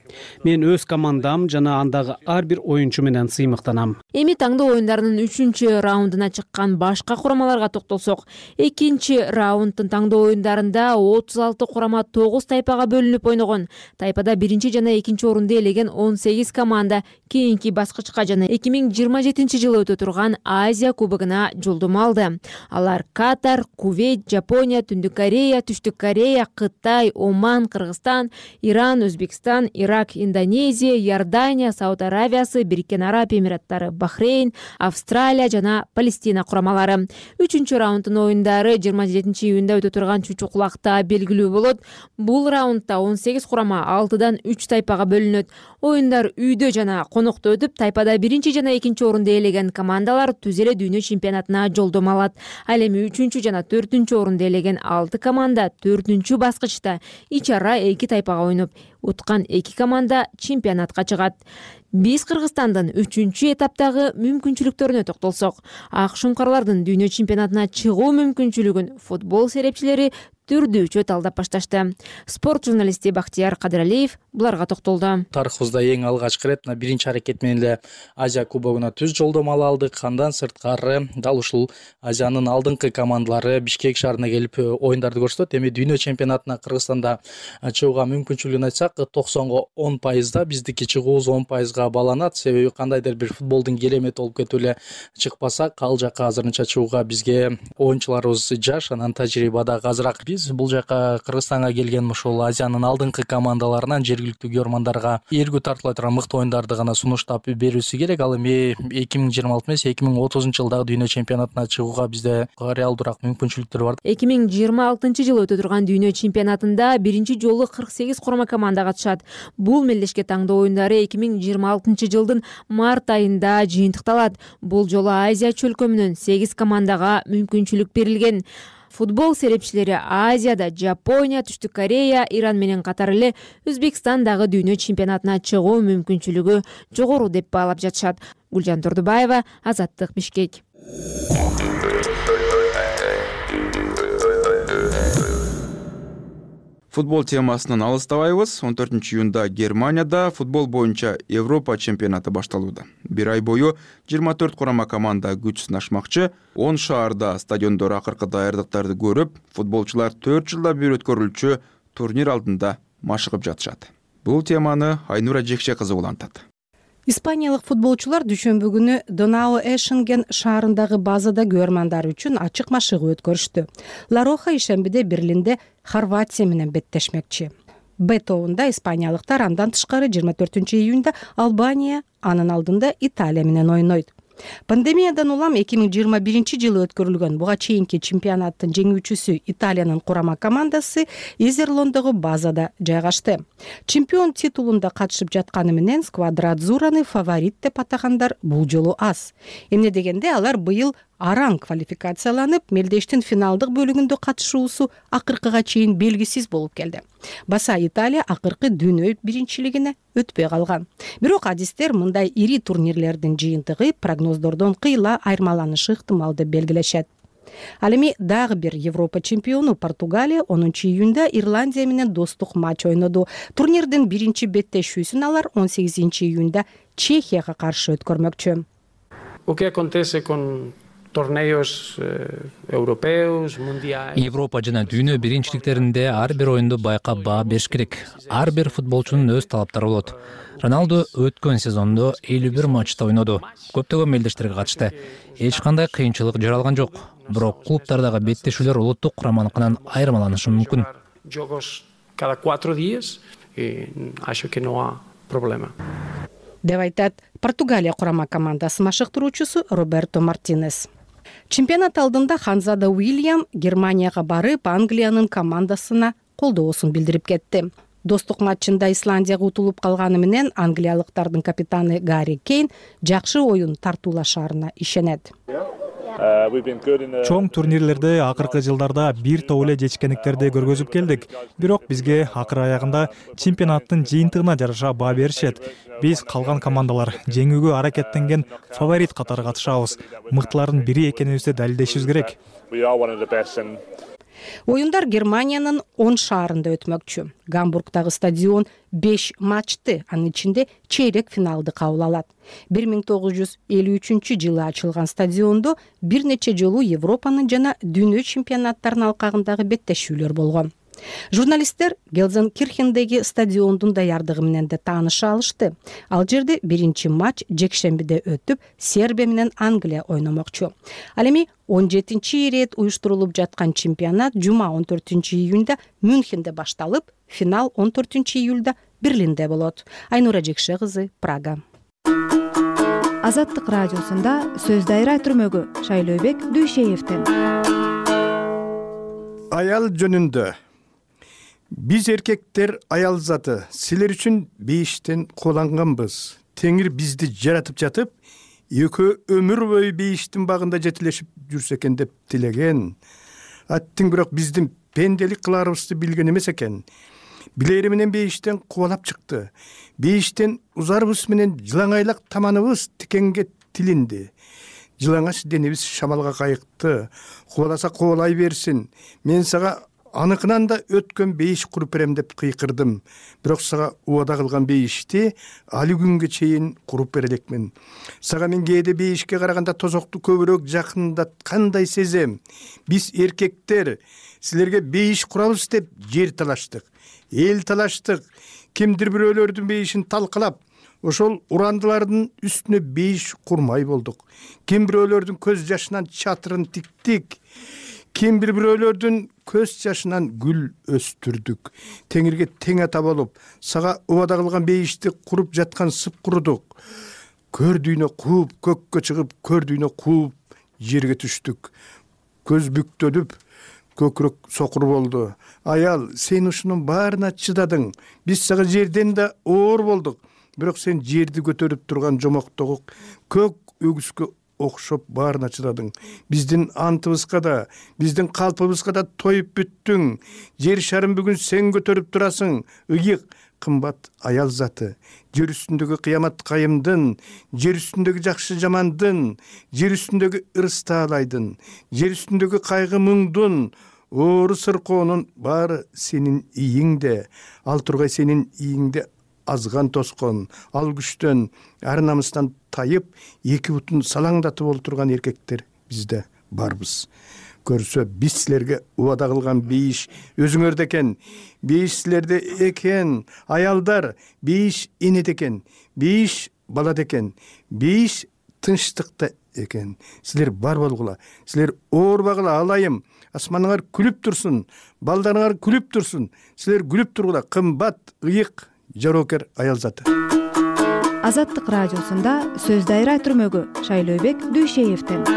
Мен өз командам жана андагы ар бир оюнчу менен сыймыктанам. Эми таңдоо оюндарынын үчүнчү раундуна чыккан башка курамаларга токтолсок, экинчи раунддун таңдоо оюндарында отуз алты курама тогуз тайпага бөлүнүп ойногон. Тайпада биринчи жана экинчи орунду ээлеген он сегиз команда кийинки баскычка жана эки миң жыйырма жетинчи жылы өтө турган Азия кубогуна жолдомо алды. Алар Катар, Кувейт, Жапония, Түндүк Корея, Түштүк Корея, Кытай, Оман, Кыргызстан, Иран, Өзбекстан, Ирак, Индонезия, Иордания, Сауд Аравиясы, Бириккен Араб Эмираттары, Бахрейн, Австралия жана Палестина курамалары. Үчүнчү раунддун оюндары жыйырма жетинчи июнда өтө турган Чучук-Кулакта белгилүү болот. Бул раундда он сегиз курама алтыдан үч тайпага бөлүнөт. Оюндар үйдө жана конокто өтүп, тайпада биринчи жана экинчи орунду ээлеген командалар түз эле дүйнө чемпионатына жолдомо алат. Ал эми үчүнчү жана төртүнчү орунду ээлеген алты команда төртүнчү баскычта ичара эки тайпага ойноп, уткан эки команда чемпионатка чыгат. Биз Кыргызстандын үчүнчү этаптагы мүмкүнчүлүктөрүнө токтолсок, ак шуңкарлардын дүйнө чемпионатына чыгуу мүмкүнчүлүгүн футбол серепчилери түрдүүчө талдап башташты. Спорт журналисти Бактияр Кадыралиев буларга токтолду. Тарыхыбызда эң алгачкы ирет мына биринчи аракет менен эле Азия кубогуна түз жолдомо ала алдык. Андан сырткары дал ушул Азиянын алдыңкы командалары Бишкек шаарына келип оюндарды көрсөтөт. Эми дүйнө чемпионатына Кыргызстанда чыгууга мүмкүнчүлүгүн айтсак, токсонго он пайызда, биздики чыгуубуз он пайызга баланат. Себеби кандайдыр бир футболдун керемети болуп кетип эле чыкпасак, ал жака азырынча чыгууга бизге оюнчуларыбыз жаш, анан тажрыйба дагы азыраак. Биз бул жака Кыргызстанга келген ушул Азиянын алдыңкы командаларынан жергиликтүү көрөрмандарга эргүү тартыла турган мыкты оюндарды гана сунуштап берүүсү керек. Ал эми эки миң жыйырма алты эмес, эки миң отузунчу жылдагы дүйнө чемпионатына чыгууга бизде реалдуураак мүмкүнчүлүктөр бар. эки миң жыйырма алтынчы жылы өтө турган дүйнө чемпионатында биринчи жолу кырк сегиз курама команда катышат. Бул мелдешке таңдоо оюндары эки миң жыйырма алтынчы жылдын март айында жыйынтыкталат. Бул жолу Азия чөлкөмүнөн сегиз командага мүмкүнчүлүк берилген. Футбол серепчилери Азияда Жапония, Түштүк Корея, Иран менен катар эле Өзбекстан дагы дүйнө чемпионатына чыгуу мүмкүнчүлүгү жогору деп баалап жатышат. Гүлжан Турдубаева, Азаттык, Бишкек. Футбол темасынан алыстабайбыз. он төртүнчү июнда Германияда футбол боюнча Европа чемпионаты башталууда. Бир ай бою жыйырма төрт курама команда күч сынашмакчы. он шаарда стадиондор акыркы даярдыктарды көрүп, футболчулар төрт жылда бир өткөрүлчү турнир алдында машыгып жатышат. Бул теманы Айнура Жекше кызы улантат. Испаниялык футболчулар дүйшөмбү күнү Донау Эшенген шаарындагы базада көрөрмандар үчүн ачык машыгуу өткөрүштү. Ла Роха ишембиде Берлинде Хорватия менен беттешмекчи. Б тобунда испаниялыктар, андан тышкары жыйырма төртүнчү июнда Албания, анын алдында Италия менен ойнойт. Пандемиядан улам эки миң жыйырма биринчи жылы өткөрүлгөн буга чейинки чемпионаттын жеңүүчүсү Италиянын курама командасы Изерлондогу базада жайгашты. Чемпион титулунда катышып жатканы менен Сквадра-Адзураны фаворит деп атагандар бул жолу аз. Эмне дегенде алар быйыл араң квалификацияланып, мелдештин финалдык бөлүгүндө катышуусу акыркыга чейин белгисиз болуп келди. Баса Италия акыркы дүйнө биринчилигине өтпөй калган. Бирок адистер мындай ири турнирлердин жыйынтыгы прогноздордон кыйла айырмаланышы ыктымал деп белгилешет. Ал эми дагы бир Европа чемпиону Португалия онунчу июнда Ирландия менен достук матч ойноду. Турнирдин биринчи беттешүүсүн алар он сегизинчи июнда Чехияга каршы өткөрмөкчү. O que acontece con torneios europeos, mundiais. Европа жана дүйнө биринчиликтеринде ар бир оюнду байкап баа бериш керек. Ар бир футболчунун өз талаптары болот. Роналду өткөн сезондо элүү бир матчта ойноду. Көптөгөн мелдештерге катышты. Эч кандай кыйынчылык жаралган жок. Бирок клубтардагы беттешүүлөр улуттук кураманыкынан айырмаланышы мүмкүн. Jogos cada cuatro días y acho que no hay problema. Деп айтат Португалия курама командасы машыктыруучусу Роберто Мартинес. Чемпионат алдында Ханзада Уильям Германияга барып, Англиянын командасына колдоосун билдирип кетти. Достук матчында Исландияга утулуп калганы менен англиялыктардын капитаны Гарри Кейн жакшы оюн тартуулашарына ишенет. Чоң турнирлерде акыркы жылдарда бир топ эле жетишкендиктерди көргөзүп келдик. Бирок бизге акыр аягында чемпионаттын жыйынтыгына жараша баа беришет. Биз калган командалар жеңүүгө аракеттенген фаворит катары катышабыз. Мыктылардын бири экенибизди далилдешибиз керек. Оюндар Германиянын он шаарында өтмөкчү. Гамбургдагы стадион беш матчты, анын ичинде чейрек финалды кабыл алат. бир миң тогуз жүз элүү үчүнчү жылы ачылган стадиондо бир нече жолу Европанын жана дүйнө чемпионаттарынын алкагындагы беттешүүлөр болгон. Журналисттер Гелзенкирхендеги стадиондун даярдыгы менен да тааныша алышты. Ал жерде биринчи матч жекшембиде өтүп, Сербия менен Англия ойномокчу. Ал эми он жетинчи ирет уюштурулуп жаткан чемпионат жума он төртүнчү июнда Мюнхенде башталып, финал он төртүнчү июлда Берлинде болот. Айнура Жекше кызы, Прага. Азаттык радиосунда сөз дайра түрмөгү Шайлообек Дүйшеевден. Аял жөнүндө. Биз эркектер аял заты, силер үчүн бейиштен коланганбыз. Теңир бизди жаратып жатып, экөө өмүр бою бейиштин багында жетилешип жүрсө экен деп тилеген. Аттың бирок биздин пенделик кыларыбызды билген эмес экен. Билери менен бейиштен кубалап чыкты. Бейиштен узарыбыз менен жылаңайлак таманыбыз тикенге тилинди. Жылаңач денебиз шамалга кайыкты. Кубаласа кубалай берсин. Мен сага аныкынан да өткөн бейиш куруп берем деп кыйкырдым. Бирок сага убада кылган бейишти али күнгө чейин куруп бере элекмин. Сага мен кээде бейишке караганда тозокту көбүрөөк жакындаткандай сезем. Биз эркектер силерге бейиш курабыз деп жер талаштык, эл талаштык. Кимдир бирөөлөрдүн бейишин талкалап, ошол урандылардын үстүнө бейиш курмай болдук. Ким бирөөлөрдүн көз жашынан чатырын тиктик. Ким бир бирөөлөрдүн көз жашынан гүл өстүрдүк. Теңирге тең ата болуп, сага убада кылган бейишти куруп жаткан сып курудук. Көрдүйнө кууп, көккө чыгып, көрдүйнө кууп, жерге түштүк. Көз бүктөлүп, көкүрөк сокур болду. Аял, сен ушунун баарына чыдадың. Биз сага жерден да оор болдук. Бирок сен жерди көтөрүп турган жомоктогу көк өгүскө окшоп баарына чыдадың. Биздин антыбызга да, биздин калпыбызга да тоюп бүттүң. Жер шарын бүгүн сен көтөрүп турасың. Ыйык, кымбат аял заты. Жер үстүндөгү кыямат кайымдын, жер үстүндөгү жакшы жамандын, жер үстүндөгү ырыс таалайдын, жер үстүндөгү кайгы муңдун, оору сыркоонун баары сенин ийиңде. Ал тургай сенин ийиңде азган тоскон, ал күчтөн, ар намыстан тайып, эки бутун салаңдатып олтурган эркектер бизде барбыз. Көрсө, биз силерге убада кылган бейиш өзүңөрдө экен. Бейиш силерде экен. Аялдар, бейиш энеде экен. Бейиш балада экен. Бейиш тынчтыкта экен. Силер бар болгула. Силер оорбагыла, алайым. Асманыңар күлүп турсун, балдарыңар күлүп турсун. Силер күлүп тургула. Кымбат, ыйык, жароокер аял заты. Азаттык радиосунда сөз дайра түрмөгү Шайлообек Дүйшеевден.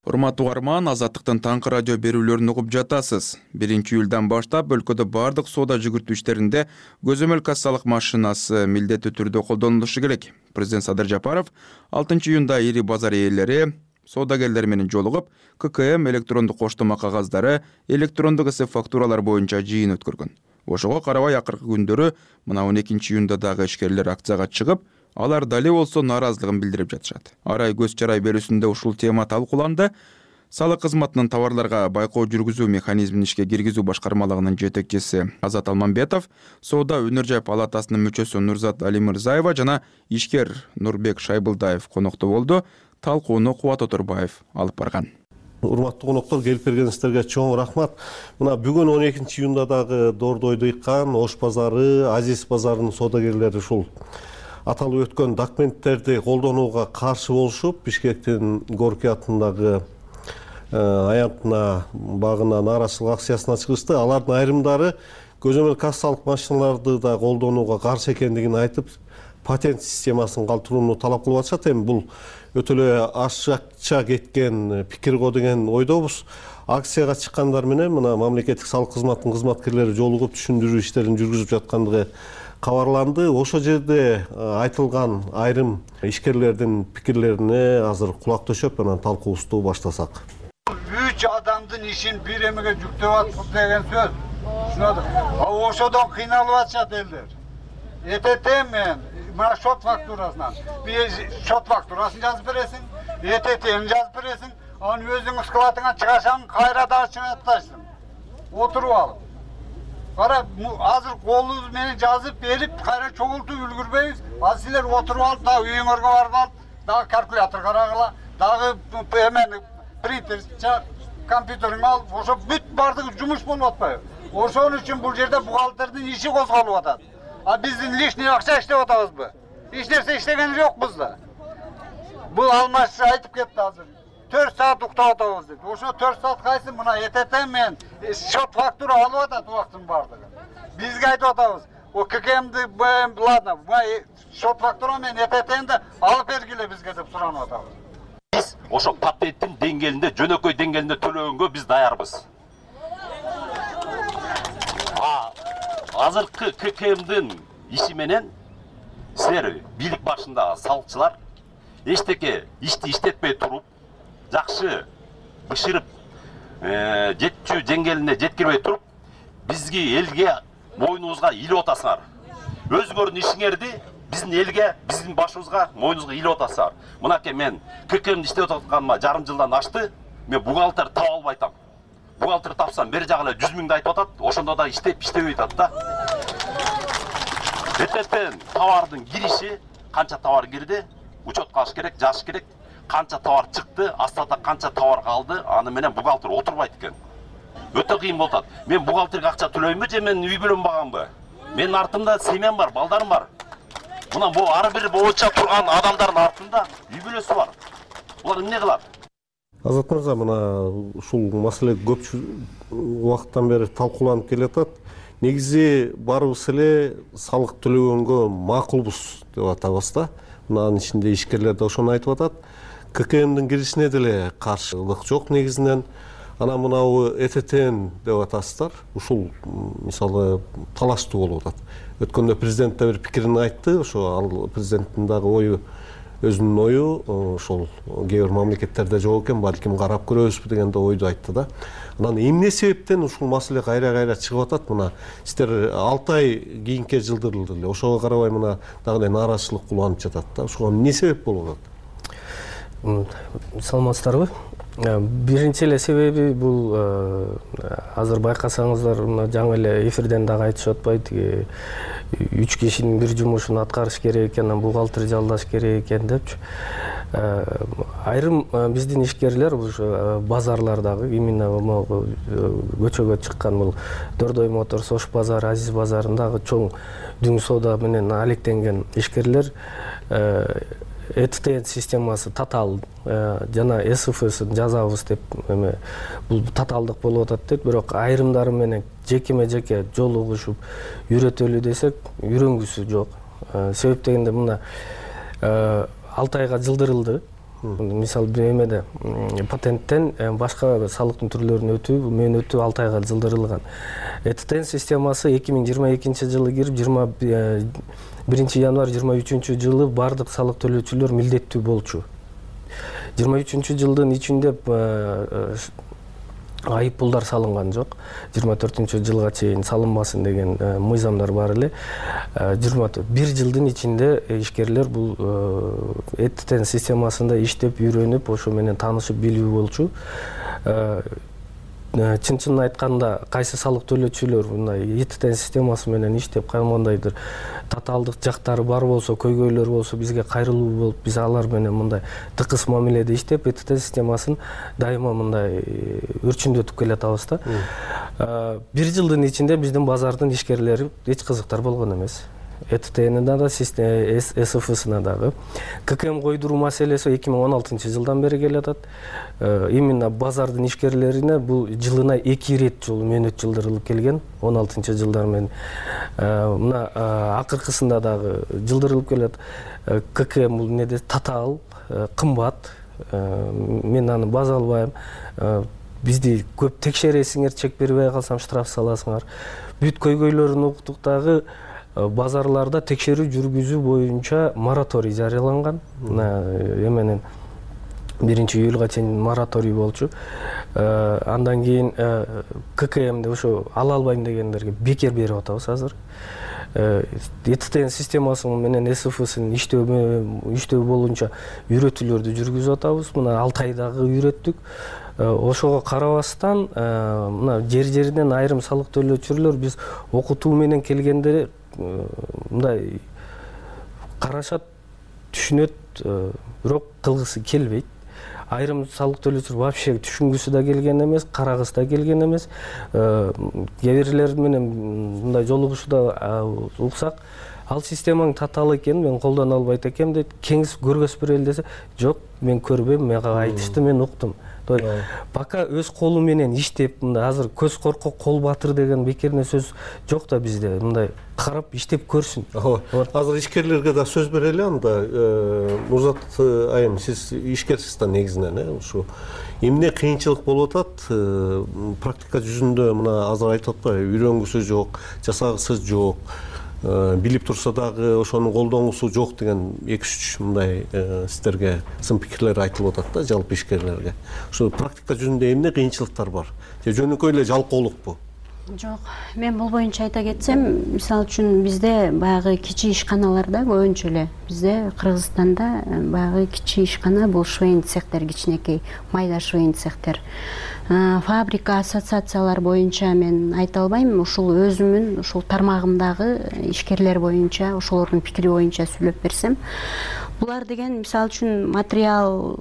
Урматтуу угарман, Азаттыктын таңкы радио берүүлөрүн угуп жатасыз. биринчи июлдан баштап өлкөдө бардык соода жүгүртүү иштеринде көзөмөл кассалык машинасы милдеттүү түрдө колдонулушу керек. Президент Садыр Жапаров алтынчы июнда ири базар ээлери, соодагерлер менен жолугуп, ка ка эм электрондук коштома кагаздары, электрондук эсеп фактуралар боюнча жыйын өткөргөн. Ошого карабай акыркы күндөрү мына он экинчи июнда дагы ишкерлер акцияга чыгып, алар дали болсо нааразылыгын билдирип жатышат. Арай көз чарай берүүсүндө ушул тема талкууланды. Салык кызматынын товарларга байкоо жүргүзүү механизмин ишке киргизүү башкармалыгынын жетекчиси Азат Алмамбетов, соода өнөр жай палатасынын мүчөсү Нурзат Алимырзаева жана ишкер Нурбек Шайбылдаев конокто болду. Талкууну Кубат Оторбаев алып барган. Урматтуу коноктор, келип келгениңиздерге чоң рахмат. Мына бүгүн он экинчи июнда дагы Дордойду ыккан, Ош базары, Азиз базарынын соодагерлери ушул аталып өткөн документтерди колдонууга каршы болушуп, Бишкектин Горький атындагы аянтына багына нааразычылык акциясына чыгышты. Алардын айрымдары көзөмөл кассалык машиналарды да колдонууга каршы экендигин айтып, патент системасын калтырууну талап кылып атышат. Эми бул өтө эле ашыкча кеткен пикир го деген ойдобуз. Акцияга чыккандар менен мына мамлекеттик салык кызматынын кызматкерлери жолугуп түшүндүрүү иштерин жүргүзүп жаткандыгы кабарланды. Ошол жерде айтылган айрым ишкерлердин пикирлерине азыр кулак төшөп, анан талкуубузду баштасак. Үч адамдын ишин бир эмеге жүктөп атып деген сөз. Түшүнөдүк. А ошодон кыйналып атышат элдер. Этетем мен мына шот фактурасынан. Бир шот фактурасын жазып бересиң, этетен жазып бересиң, аны өзүңүз складыңан чыгашаң, кайра да чыгып атасың. Отуруп алып. Кара, азыр колубуз менен жазып берип, кайра чогултуп үлгүрбөйбүз. Азыр силер отуруп алып, дагы үйүңөргө барып алып, дагы калькулятор карагыла, дагы эмен принтер чак, компьютериңди алып, ошо бүт бардыгы жумуш болуп атпайбы? Ошон үчүн бул жерде бухгалтердин иши козголуп атат. А биздин лишний акча иштеп атабызбы? Эч нерсе иштеген жокпуз да. Бул Алмаш айтып кетти азыр. төрт саат уктап атабыз деп. Ошо төрт саат кайсы мына этетем менен шот фактура алып атат убактын бардыгы. Бизге айтып атабыз. О ка ка эмди ладно, шот фактура менен этетемди алып бергиле бизге деп суранып атабыз. Биз ошо патенттин деңгээлинде, жөнөкөй деңгээлинде төлөгөнгө биз даярбыз. Азыркы ка ка эмдин иши менен силер бийлик башындагы салыкчылар эчтеке ишти иштетпей туруп, жакшы бышырып, жетчү деңгээлине жеткирбей туруп, бизги элге мойнубузга илип атасыңар. Өзүңөрдүн ишиңерди биздин элге, биздин башыбызга, мойнубузга илип атасыңар. Мынакей мен ка ка эмди иштеп атканыма жарым жылдан ашты, мен бухгалтер таап албай атам. бухгалтер тапсам бери жагы эле жүз миңди айтып атат, ошондо да иштеп иштебей атат да. Эртең товардын кириши, канча товар кирди, учетко алыш керек, жазыш керек, канча товар чыкты, астада канча товар калды, аны менен бухгалтер отурбайт экен. Өтө кыйын болуп атат. Мен бухгалтерге акча төлөймүнбү же мен үй бүлөм Менин артымда семьям бар, балдарым бар. Мына бул ар бир бооча турган адамдардын артында үй бүлөсү бар. Булар эмне кылат? Азат мырза, мына ушул маселе көп убакыттан бери талкууланып келатат. Негизи барыбыз эле салык төлөгөнгө макулбуз деп атабыз да. Мынанын ичинде ишкерлер да ошону айтып атат. ККМдин киришине деле каршылык жок негизинен. Ана мынабу этетен деп атасыздар. Ушул мисалы талаштуу болуп атат. Өткөндө президент да бир пикирин айтты. Ошо ал президенттин дагы ою, өзүнүн ою, ошол кээ бир мамлекеттерде жок экен, балким карап көрөбүзбү деген да ойду айтты да. Анан эмне себептен ушул маселе кайра-кайра чыгып атат? Мына сиздер алты ай кийинки жылдырылды эле. Ошого карабай мына дагы эле нааразычылык уланып жатат да. Ошого эмне себеп болуп атат? Саламатсыздарбы? Биринчи эле себеби бул азыр байкасаңыздар, мына жаңы эле эфирден дагы айтышып атпайбы, тиги үч кишинин бир жумушун аткарыш керек экен, анан бухгалтер жалдаш керек экен депчи. Айрым биздин ишкерлер ушу базарлардагы, именно могу көчөгө чыккан бул Дордой Моторс, Ош базары, Азиз базарындагы чоң дүң соода менен алектенген ишкерлер ЭТТ системасы татаал жана СФСын жазабыз деп эме бул татаалдык болуп атат дейт, бирок айрымдары менен жекеме-жеке жолугушуп үйрөтөлү десек, үйрөнгүсү жок. Себеп дегенде мына алты айга жылдырылды. Мисалы эмеде патенттен башка салыктын түрлөрүнө өтүү, мен өтүү алты айга жылдырылган. ЭТТ системасы эки миң жыйырма экинчи жылы кирип, жыйырма биринчи январь жыйырма үчүнчү жылы бардык салык төлөөчүлөр милдеттүү болчу. жыйырма үчүнчү жылдын ичинде айып пулдар салынган жок. жыйырма төртүнчү жылга чейин салынбасын деген мыйзамдар бар эле. жыйырма бир жылдын ичинде ишкерлер бул ЭТТ системасында иштеп, үйрөнүп, ошо менен таанышып билүү болчу. Чын-чынын айтканда, кайсы салык төлөөчүлөр мындай ЭТТ системасы менен иштеп, кандайдыр татаалдык жактары бар болсо, көйгөйлөр болсо, бизге кайрылуу болуп, биз алар менен мындай тыкыз мамиледе иштеп, ЭТТ системасын дайыма мындай өрчүндөтүп келатабыз да. Бир жылдын ичинде биздин базардын ишкерлери эч кызыктар болгон эмес. ЭТТнин да, СФСына дагы. ККМ койдуруу маселеси эки миң он алтынчы жылдан бери келатат. Именно базардын ишкерлерине бул жылына эки ирет жолу мөөнөт жылдырылып келген, он алтынчы жылдар менен. Мына акыркысында дагы жылдырылып келет. ККМ бул неде татаал, кымбат. Мен аны база албайм. Бизди көп текшересиңер, чек бербей калсам штраф саласыңар. Бүт көйгөйлөрүн уктук дагы. Базарларда текшерүү жүргүзүү боюнча мораторий жарыяланган. Эменен биринчи июлга чейин мораторий болчу. Андан кийин ККМде ошо ала албайм дегендерге бекер берип атабыз азыр. ЭТТ системасы менен СФСын иштөө боюнча үйрөтүүлөрдү жүргүзүп атабыз. Мына алты айдагы үйрөттүк. Ошого карабастан, мына жер-жеринен айрым салык төлөөчүлөр биз окутуу менен келгенде мындай карашат, түшүнөт, бирок кылгысы келбейт. Айрым салык төлөөчүлөр вообще түшүнгүсү да келген эмес, карагысы да келген эмес. Кээ бирлер менен мындай жолугушуда уксак, ал системаң татаал экен, мен колдоно албайт экем дейт. Кеңес көргөзүп берели десе, жок, мен көрбөйм, мага айтышты, мен уктум. Пока өз колу менен иштеп, мындай азыр көз коркок, кол батыр деген бекерне сөз жок да бизде. Мындай карап иштеп көрсүн. Азыр ишкерлерге да сөз берели анда. Мурзат айым, сиз ишкерсиз да негизинен, э, ушу эмне кыйынчылык болуп атат? Практика жүзүндө мына азыр айтып атпайбы, үйрөнгүсү жок, жасагысы жок. Билип турса дагы ошонун колдонгусу жок деген эки үч мындай сиздерге сын пикирлер айтылып атат да, жалпы ишкерлерге. Ошо практика жүзүндө эмне кыйынчылыктар бар? Же жөнөкөй эле жалкоолукпу? Жок, мен бул боюнча айта кетсем, мисалы үчүн бизде баягы кичи ишканаларда көбүнчө эле бизде Кыргызстанда баягы кичи ишкана бул швейн цехтер, кичинекей майда швейн цехтер. Фабрика, ассоциациялар боюнча мен айта албайм, ушул өзүмүн ушул тармагымдагы ишкерлер боюнча, ошолордун пикири боюнча сүйлөп берсем, булар деген мисалы үчүн материал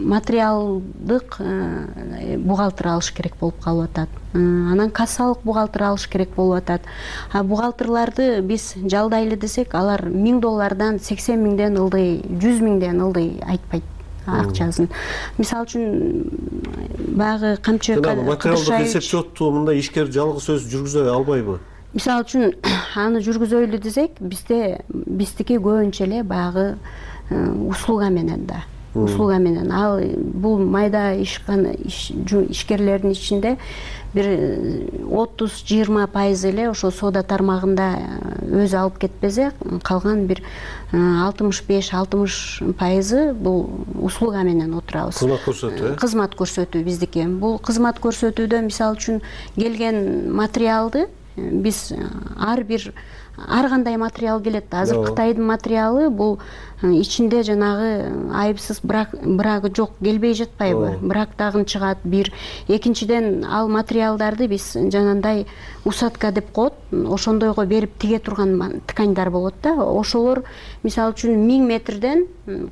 материалдык бухгалтер алыш керек болуп калып атат. Анан кассалык бухгалтер алыш керек болуп атат. А бухгалтерларды биз жалдайлы десек, алар миң доллардан сексен миңден ылдый, жүз миңден ылдый айтпайт акчасын. Мисалы үчүн баягы камчы материалдык эсеп счетту мындай ишкер жалгыз өзү жүргүзө албайбы? Мисалы үчүн аны жүргүзөйлү десек, бизде биздики көбүнчө эле баягы услуга менен да. Услуга менен. Ал бул майда ишкана ишкерлердин ичинде бир отуз жыйырма пайыз эле ошо соода тармагында өзү алып кетпесе, калган бир алтымыш беш алтымыш пайызы бул услуга менен отурабыз. Кызмат көрсөтүү, э? Кызмат көрсөтүү биздики. Бул кызмат көрсөтүүдө мисалы үчүн келген материалды биз ар бир ар кандай материал келет. Азыр Кытайдын материалы бул ичинде жанагы айыпсыз брак брагы жок келбей жатпайбы? Брак дагы чыгат бир. Экинчиден ал материалдарды биз жанагындай усадка деп коет, ошондойго берип тиге турган тканьдар болот да. Ошолор мисалы үчүн миң метрден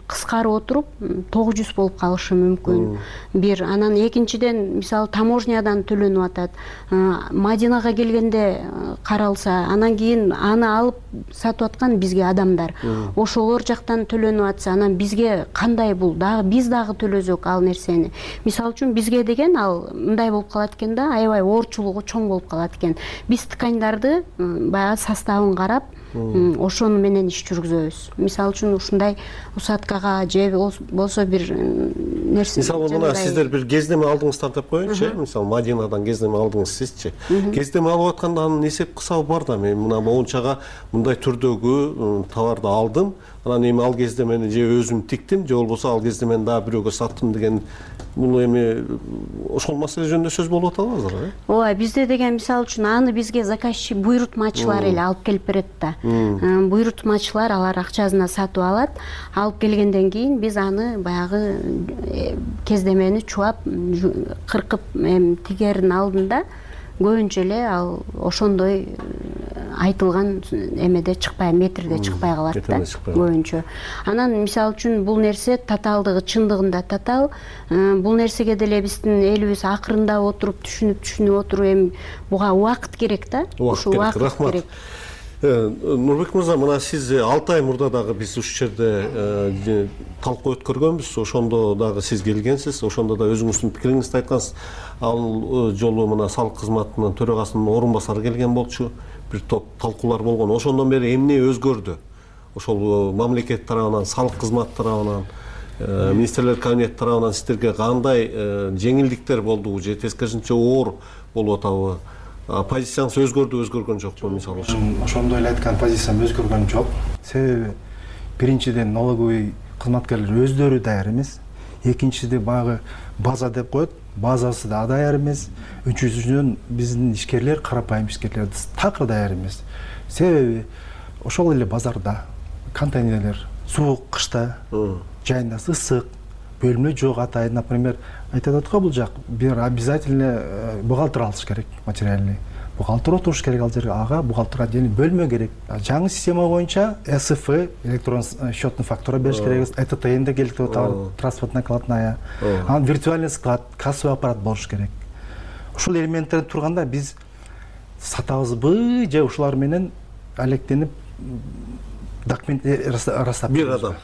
кыскарып отуруп тогуз жүз болуп калышы мүмкүн. Бир. Анан экинчиден мисалы таможнядан төлөнүп атат. Мадинага келгенде каралса, анан кийин аны алып сатып аткан бизге адамдар. Ошолор жактан төлөнүп атса, анан бизге кандай бул? Дагы биз дагы төлөзөк ал нерсени. Мисалы үчүн бизге деген ал мындай болуп калат экен да, аябай оорчулугу чоң болуп калат экен. Биз тканьдарды баягы составын карап, ошону менен иш жүргүзөбүз. Мисалы үчүн ушундай усадкага же болсо бир нерсе. Мисалы мына сиздер бир кездеме алдыңыздар деп коеюнчу, мисалы Мадинадан кездеме алдыңыз сизчи. Кездеме алып атканда анын эсеп кысабы бар да, мен мына моунчага мындай түрдөгү товарды алдым, анан эми ал кездемени же өзүм тиктим, же болбосо ал кездемени дагы бирөөгө саттым деген бул эми ошол маселе жөнүндө сөз болуп атабы азыр, э? Ооба, бизде деген мисалы үчүн аны бизге заказчик буйрутмачылар эле алып келип берет да. Буйрутмачылар алар акчасына сатып алат. Алып келгенден кийин биз аны баягы кездемени чубап, кыркып тигердин алдында көбүнчө эле ал ошондой айтылган эмеде чыкпай, метрде чыкпай калат да көбүнчө. Анан мисалы үчүн бул нерсе татаалдыгы чындыгында татаал. Бул нерсеге деле биздин элибиз акырында отуруп түшүнүп түшүнүп отуруп, эми буга убакыт керек да. Ушул убакыт керек. Нурбек мырза, мына сиз алты ай мурда дагы биз ушул жерде талкуу өткөргөнбүз. Ошондо дагы сиз келгенсиз, ошондо да өзүңүздүн пикириңизди айткансыз. Ал жолу мына салык кызматынын төрагасынын орун басары келген болчу. Бир топ талкуулар болгон. Ошондон бери эмне өзгөрдү? Ошол мамлекет тарабынан, салык кызмат тарабынан, министрлер кабинети тарабынан сиздерге кандай жеңилдиктер болду же тескерисинче оор болуп атабы? Позицияңыз өзгөрдү, өзгөргөн жокпу мисалы үчүн? Ошондой эле айткан позициям өзгөргөн жок. Себеби биринчиден налоговый кызматкерлер өздөрү даяр эмес. Экинчиде баягы база деп коет, базасы да даяр эмес. Үчүнчүдөн биздин ишкерлер, карапайым ишкерлер такыр даяр эмес. Себеби ошол эле базарда контейнерлер суук кышта, жайында ысык, бөлмө жок атайын, например, айтып атат го бул жак бир обязательно бухгалтер алыш керек, материальный. Бухгалтер отуруш керек ал жерге, ага бухгалтер отдельный бөлмө керек. Жаңы система боюнча эс эф, электрон счетный фактура бериш керек, э т т энде келип атат, транспортная накладная. Анан виртуальный склад, кассовый аппарат болуш керек. Ушул элементтер турганда биз сатабызбы же ушулар менен алектенип документ ырастап бир адам.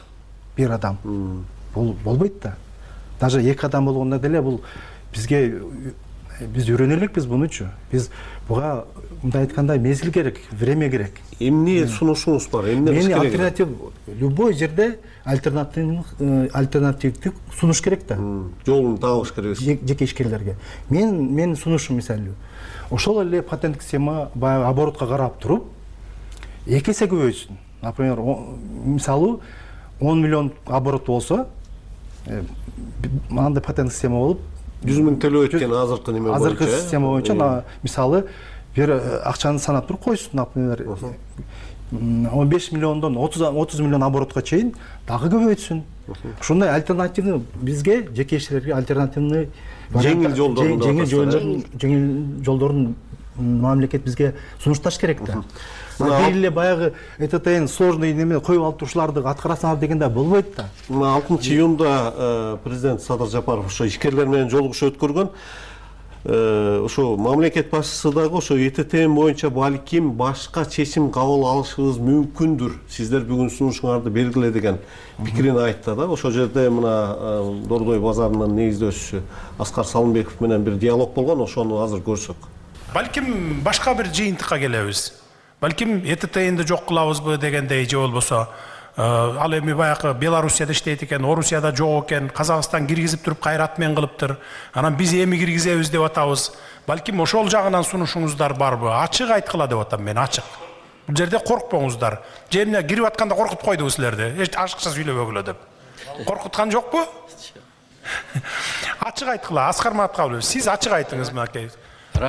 Бир адам. Бул болбойт да. Даже эки адам болгондо деле бул бизге биз үйрөнө элекпиз мунучу. Биз буга мындай айтканда мезгил керек, время керек. Эмне сунушуңуз бар? Эмне кылыш керек? Альтернатив любой жерде альтернатив альтернативдик сунуш керек да. Жолун табыш керек. Жеке ишкерлерге. Мен менин сунушум мисалы ошол эле патенттик система баягы оборотко карап туруп эки эсе көбөйсүн. Например, мисалы он миллион оборот болсо, андай патенттик система болуп, жүз миң төлөп экен азыркы неме боюнча. Азыркы система боюнча мисалы бир акчаны санап туруп койсуң, например, он беш миллиондон отуз миллион оборотко чейин дагы көбөйтсүн. Ушундай альтернативный бизге жекечелерге альтернативный жеңил жолдорун жеңил жолдорун жеңил жолдорун мамлекет бизге сунушташ керек да. Бир эле баягы ЭТТнин сложный неме коюп алып турушуларды аткарасыңар дегенде болбойт да. Мына алтынчы июнда президент Садыр Жапаров ошо ишкерлер менен жолугушуу өткөргөн. Ошо мамлекет башчысы дагы ошо ЭТТн боюнча балким башка чечим кабыл алышыбыз мүмкүндүр. Сиздер бүгүн сунушуңарды бергиле деген пикирин айтты да. Ошол жерде мына Дордой базарынын негиздөөчүсү Аскар Салымбеков менен бир диалог болгон, ошону азыр көрсөк. Балким башка бир жыйынтыкка келебиз. Балким ЭТТнди жок кылабызбы дегендей, же болбосо ал эми баягы Белоруссияда иштейт экен, Орусияда жок экен, Казакстан киргизип туруп кайрат менен кылыптыр. Анан биз эми киргизебиз деп атабыз. Балким ошол жагынан сунушуңуздар барбы? Ачык айткыла деп атам мен, ачык. Бул жерде коркпоңуздар. Же эмне кирип атканда коркутуп койдубу силерди? Эч ашыкча сүйлөбөгүлө деп. Коркуткан жокпу? Ачык айткыла, Аскар Маткалов, сиз ачык айтыңыз мынакей.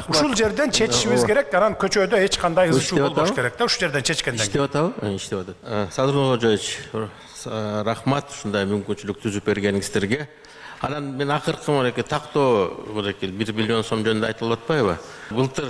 Ушул жерден чечишибиз керек, анан көчөдө эч кандай ызчуу болбош керек да, ушул жерден чечкенден кийин. Иштеп атабы? Иштеп атат. Садыр Кожоевич, рахмат ушундай мүмкүнчүлүк түзүп бергениңиздерге. Анан мен акыркы мынакей тактоо мынакей бир миллион сом жөнүндө айтылып атпайбы? Былтыр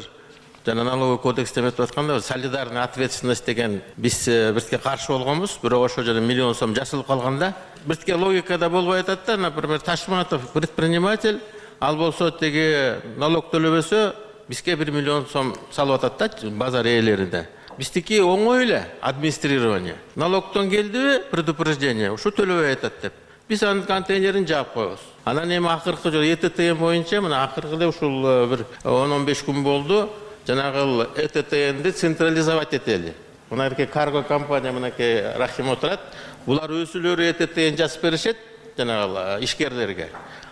жана налоговый кодексте эметип атканда солидарный ответственность деген биз бирке каршы болгонбуз, бирок ошо жерде миллион сом жасалып калганда бирке логикада болбой атат да. Например, Ташматов предприниматель, ал болсо теги налог төлөбөсө бизге бир миллион сом салып атат да базар ээлерине. Биздики оңой эле администрирование. Налогтон келдиби предупреждение, ушу төлөбөй атат деп. Биз анын контейнерин жаап коебуз. Анан эми акыркы жолу ЭТТн боюнча мына акыркы эле ушул бир он он беш күн болду. Жанагы ЭТТнди централизовать этели. Мынакей карго компания мынакей Рахим отурат. Булар өзүлөрү ЭТТн жазып беришет жанагы ишкерлерге.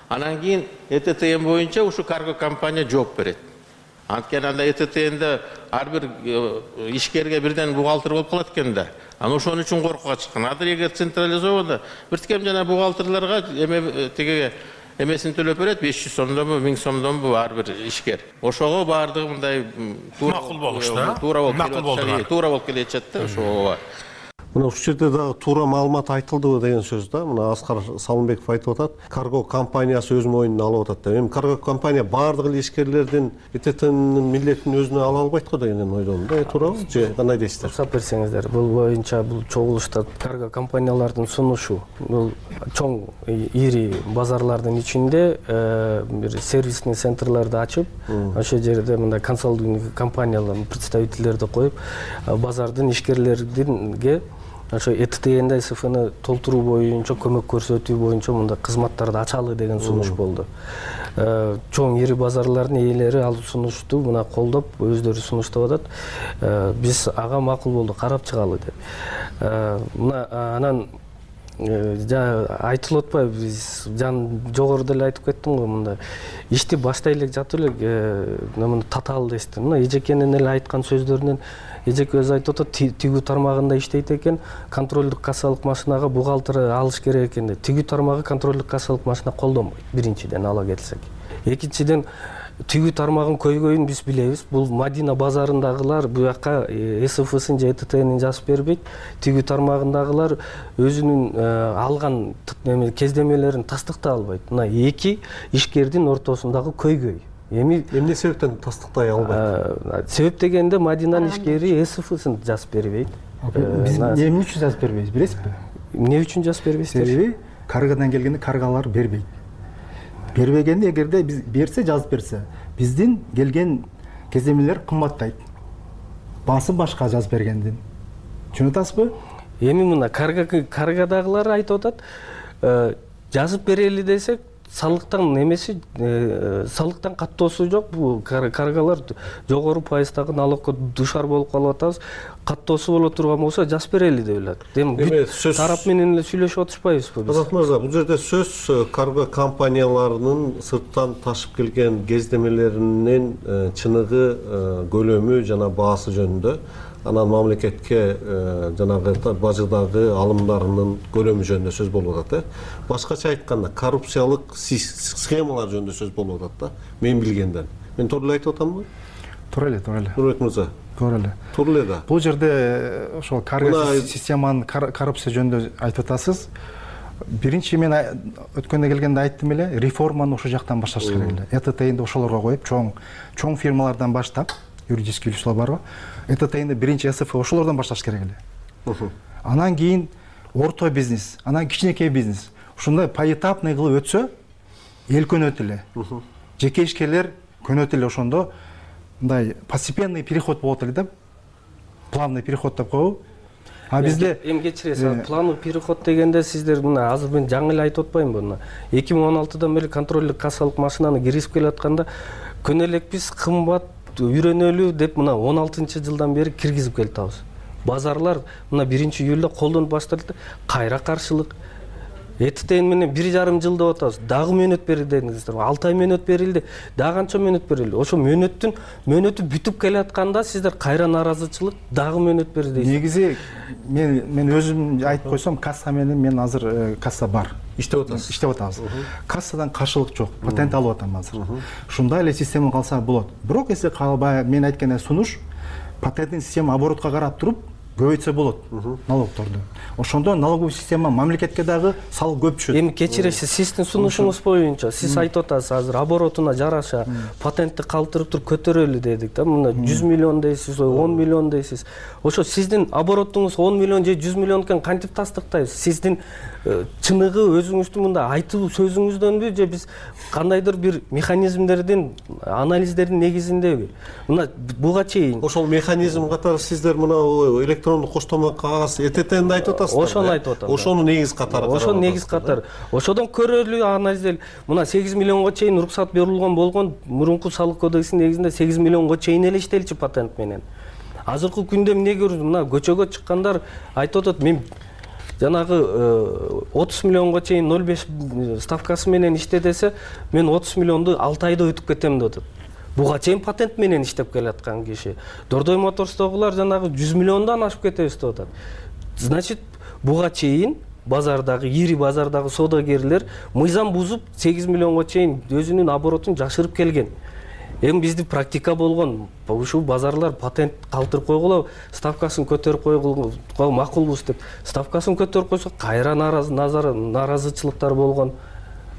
Анан кийин ЭТТн боюнча ушу карго компания жооп берет. Анткени анда ЭТТнде ар бир ишкерге бирден бухгалтер болуп калат экен да. Анан ошон үчүн коркуга чыккан. Азыр эгер централизовано бирткем жана бухгалтерлерге эме тиги эмесин төлөп берет, беш жүз сомдонбу, миң сомдонбу ар бир ишкер. Ошого баардыгы мындай макул болушту, да? Туура болуп, туура болуп келе жатат да ошого. Мына ушул жерде дагы туура маалымат айтылдыбы деген сөз да. Мына Аскар Салымбеков айтып атат, карго компаниясы өз моюнуна алып атат деп. Эми карго компания баардык эле ишкерлердин ЭТТнин милдетин өзүнө ала албайт го дегенден ойдомун да. Туурабы же кандай дейсиздер? Уруксат берсеңиздер, бул боюнча бул чогулушта карго компаниялардын сунушу, бул чоң ири базарлардын ичинде бир сервисный центрларды ачып, ошол жерде мындай консалтинг компаниялардын представительдерди коюп, базардын ишкерлеринге ошо ЭТТнде СФны толтуруу боюнча көмөк көрсөтүү боюнча мындай кызматтарды ачалы деген сунуш болду. Чоң ири базарлардын ээлери ал сунушту мына колдоп өздөрү сунуштап атат. Биз ага макул болду, карап чыгалы деп. Мына анан айтылып атпайбы, биз жан жогоруда эле айтып кеттим го, мындай ишти баштай эле жатып эле мына татаал дести. Мына эжекенин эле айткан сөздөрүнөн эжеке өзү айтып атат, тигүү тармагында иштейт экен, контролдук кассалык машинага бухгалтер алыш керек экен деп. Тигүү тармагы контролдук кассалык машина колдонбойт. Биринчиден ала келсек. Экинчиден тигүү тармагын көйгөйүн биз билебиз. Бул Мадина базарындагылар буяка СФсын же ЭТТнин жазып бербейт. Тигүү тармагындагылар өзүнүн алган кездемелерин тастыктай албайт. Мына эки ишкердин ортосундагы көйгөй. Эми эмне себептен тастыктай албайт? Себеп дегенде Мадинанын ишкери СФсын жазып бербейт. Биз эмне үчүн жазып бербейбиз, билесизби? Эмне үчүн жазып бербейсиздер? Себеби каргадан келгенде каргалар бербейт. Бербегенде эгерде биз берсе, жазып берсе, биздин келген кездемелер кымбаттайт. Баасы башка жазып бергенден. Түшүнүп атасызбы? Эми мына каргадагылар айтып атат, жазып берели десек, салыктан немеси салыктан каттоосу жок. Бул каргалар жогору пайыздагы налогко душар болуп калып атабыз. Каттоосу боло турган болсо жазып берели деп элек. Эми тарап менен эле сүйлөшүп отурушпайбызбы биз? Азат мырза, бул жерде сөз карго компанияларынын сырттан ташып келген кездемелеринин чыныгы, көлөмү жана баасы жөнүндө. анан мамлекетке жанагы бажыдагы алымдарынын көлөмү жөнүндө сөз болуп атат э башкача айтканда коррупциялык схемалар жөнүндө сөз болуп атат да мен билгенден. Мен туура эле айтып атамбы? Туура эле, туура эле. Нурбек мырза. Туура эле. Туура эле да. Бул жерде ошол каргы системанын коррупция жөнүндө айтып атасыз. Биринчи мен өткөндө келгенде айттым эле, реформаны ошол жактан башташ керек эле. Э Т Т'нди ошолорго коюп, чоң чоң фирмалардан баштап, юридический лицолор барбы? Э Т Т'нди биринчи С Ф ошолордон башташ керек эле. Анан кийин орто бизнес, анан кичинекей бизнес. Ушундай поэтапный кылып өтсө, эл көнөт эле. Жеке ишкерлер көнөт эле ошондо мындай постепенный переход болот эле да. Плавный переход деп коебу. А бизде эми кечиресиз, плановый переход дегенде сиздер мына азыр мен жаңы эле айтып атпаймынбы мына эки миң он алтыдан бери контролдук кассалык машинаны киргизип келатканда күнө элекпиз кымбат үйрөнөлү деп мына он алтынчы жылдан бери киргизип келатабыз. Базарлар мына биринчи июлда колдонуп башталды, кайра каршылык. Э Т Т менен бир жарым жыл деп атабыз. Дагы мөөнөт берилди деңиздер. алты ай мөөнөт берилди. Дагы канча мөөнөт берилди? Ошо мөөнөттүн мөөнөтү бүтүп келатканда сиздер кайра наразычылык, дагы мөөнөт берди дейсиз. Негизи мен мен өзүм айтып койсом, касса менен мен азыр касса бар. Иштеп атасыз. Иштеп атабыз. Кассадан каршылык жок. Патент алып атам азыр. Ушундай эле система калса болот. Бирок эссе калбай мен айткан сунуш патенттик система оборотко карап туруп көбөйтсө болот налогторду. Ошондо налоговый система мамлекетке дагы салык көп түшөт. Эми кечиресиз, сиздин сунушуңуз боюнча сиз айтып атасыз азыр оборотуна жараша патентти калтырып туруп көтөрөлү дедик да. Мына жүз миллион дейсиз, он миллион дейсиз. Ошо сиздин оборотуңуз он миллион же жүз миллион экен кантип тастыктайбыз? Сиздин чыныгы өзүңүздүн мында айтуу сөзүңүздөнбү же биз кандайдыр бир механизмдердин, анализдердин негизиндеби? Мына буга чейин ошол механизм катары сиздер мына электрондук коштома кагаз Э Т Т'нди айтып атасыздар. Ошону айтып атам. Ошону негиз катары. Ошону негиз катары. Ошодон көрөлү анализдел. Мына сегиз миллионго чейин уруксат берилген болгон мурунку салык кодексинин негизинде сегиз миллионго чейин эле иштелчү патент менен. Азыркы күндө эмне көрдүм? Мына көчөгө чыккандар айтып атат, мен жанагы отуз миллионго чейин ноль беш ставкасы менен иште десе, мен отуз миллионду алты айда өтүп кетем деп атат. Буга чейин патент менен иштеп келаткан киши. Дордой Моторстогулар жанагы жүз миллиондон ашып кетебиз деп атат. Значит, буга чейин базардагы, ири базардагы соодагерлер мыйзам бузуп сегиз миллионго чейин өзүнүн оборотун жашырып келген. Эми бизди практика болгон, ушул базарлар патент калтырып койгула, ставкасын көтөрүп койгула макулбуз деп. Ставкасын көтөрүп койсо, кайра наразычылыктар болгон.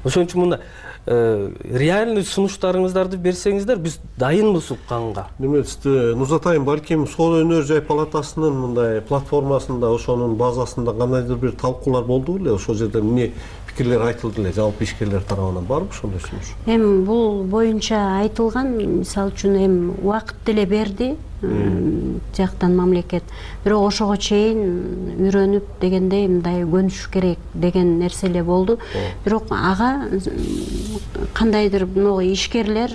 Ошон үчүн мында реальный сунуштарыңыздарды берсеңиздер, биз дайынбыз укканга. Неметсизди, Нурзат айым, балким Соода өнөр жай палатасынын мындай платформасында, ошонун базасында кандайдыр бир талкуулар болду беле? Ошол жерде эмне пикирлер айтылды эле, жалпы ишкерлер тарабынан барбы ошондой сунуш? Эми бул боюнча айтылган, мисалы үчүн эми убакыт деле берди жактан мамлекет. Бирок ошого чейин үйрөнүп дегендей мындай көнүш керек деген нерселер болду. Бирок ага кандайдыр могу ишкерлер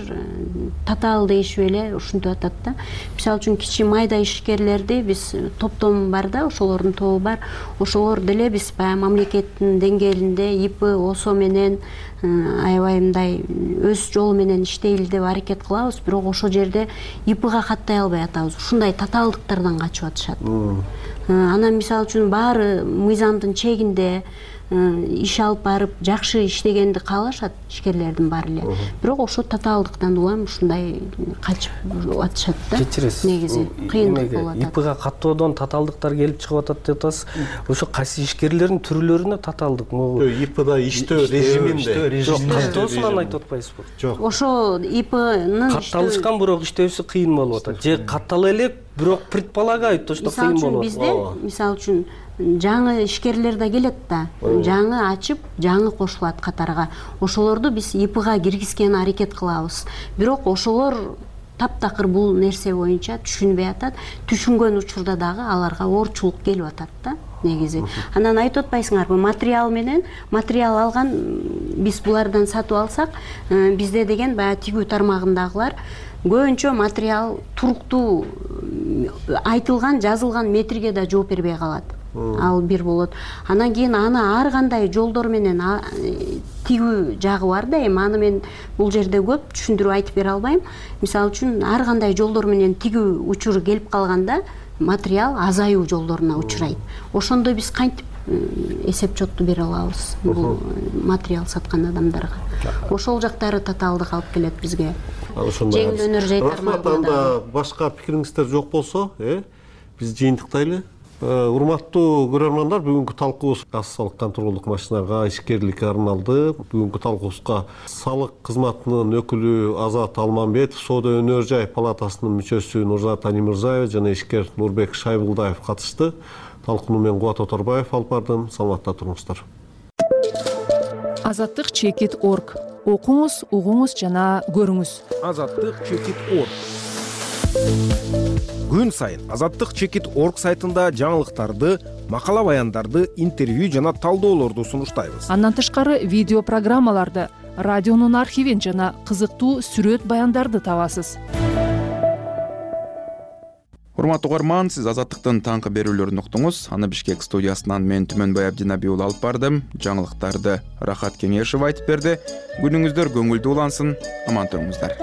татаал дейишип эле ушинтип атат да. Мисалы үчүн кичи майда ишкерлерди биз топтом бар да, ошолордун тобу бар. Ошолор деле биз баягы мамлекеттин деңгээлинде И П, О С О менен аябай мындай өз жолу менен иштейли деп аракет кылабыз, бирок ошол жерде И Пга каттай албай атабыз. Ушундай татаалдыктардан качып атышат. Анан мисалы үчүн баары мыйзамдын чегинде иш алып барып жакшы иштегенди каалашат ишкерлердин баары эле. Бирок ошо татаалдыктан улам ушундай качып атышат да. Кечиресиз. Негизи кыйындык болуп атат. И Пга каттоодон татаалдыктар келип чыгып атат деп атасыз. Ошо кайсы ишкерлердин түрлөрүнө татаалдык. И Пда иштөө режиминде. Каттоосунан айтып атпайсызбы? Жок. Ошо И Пнын катталышкан, бирок иштөөсү кыйын болуп атат. Же каттала элек, бирок предполагают то, что кыйын болуп атат. Бизде, мисалы үчүн, жаңы ишкерлер да келет да, жаңы ачып, жаңы кошулат катарга. Ошолорду биз И Пга киргизгенге аракет кылабыз. Бирок ошолор таптакыр бул нерсе боюнча түшүнбөй атат. Түшүнгөн учурда дагы аларга оорчулук келип атат да. Негизи. Анан айтып атпайсыңарбы, материал менен, материал алган биз булардан сатып алсак, бизде деген баягы тигүү тармагындагылар көбүнчө материал туруктуу айтылган, жазылган метрге да жооп бербей калат. Ал бир болот. Анан кийин аны ар кандай жолдор менен тигүү жагы бар да, эми аны мен бул жерде көп түшүндүрүп айтып бере албайм. Мисалы үчүн ар кандай жолдор менен тигүү учуру келип калганда, материал азаюу жолдоруна учурайт. Ошондо биз кантип эсеп чотту бере алабыз бул материал саткан адамдарга? Ошол жактары татаалдык алып келет бизге. Жеңилөөнөр жайтармалуу. Рахмат. Анда башка пикириңиздер жок болсо, э биз жыйынтыктайлы. Урматтуу көрөрмандар, бүгүнкү талкуубуз кассалык контролдук машиналарга ишкерликке арналды. Бүгүнкү талкуубузга салык кызматынын өкүлү Азат Алманбетов, Соода өнөр жай палатасынын мүчөсү Нурзат Анимырзаева жана ишкер Нурбек Шайбулдаев катышты. Талкууну мен Кубат Оторбаев алып бардым. Саламатта туруңуздар. Азаттык чекит точка орг. Окуңуз, угуңуз жана көрүңүз. Азаттык чекит точка орг. Күн сайын Азаттык чекит точка орг сайтында жаңылыктарды, макала баяндарды, интервью жана талдоолорду сунуштайбыз. Андан тышкары видео программаларды, радионун архивин жана кызыктуу сүрөт баяндарды табасыз. Урматтуу угарман, сиз Азаттыктын таңкы берүүлөрүн уктуңуз. Аны Бишкек студиясынан мен Түмөнбай Абдинаби уулу алып бардым. Жаңылыктарды Рахат Кеңешев айтып берди. Күнүңүздөр көңүлдүү улансын. Аман туруңуздар.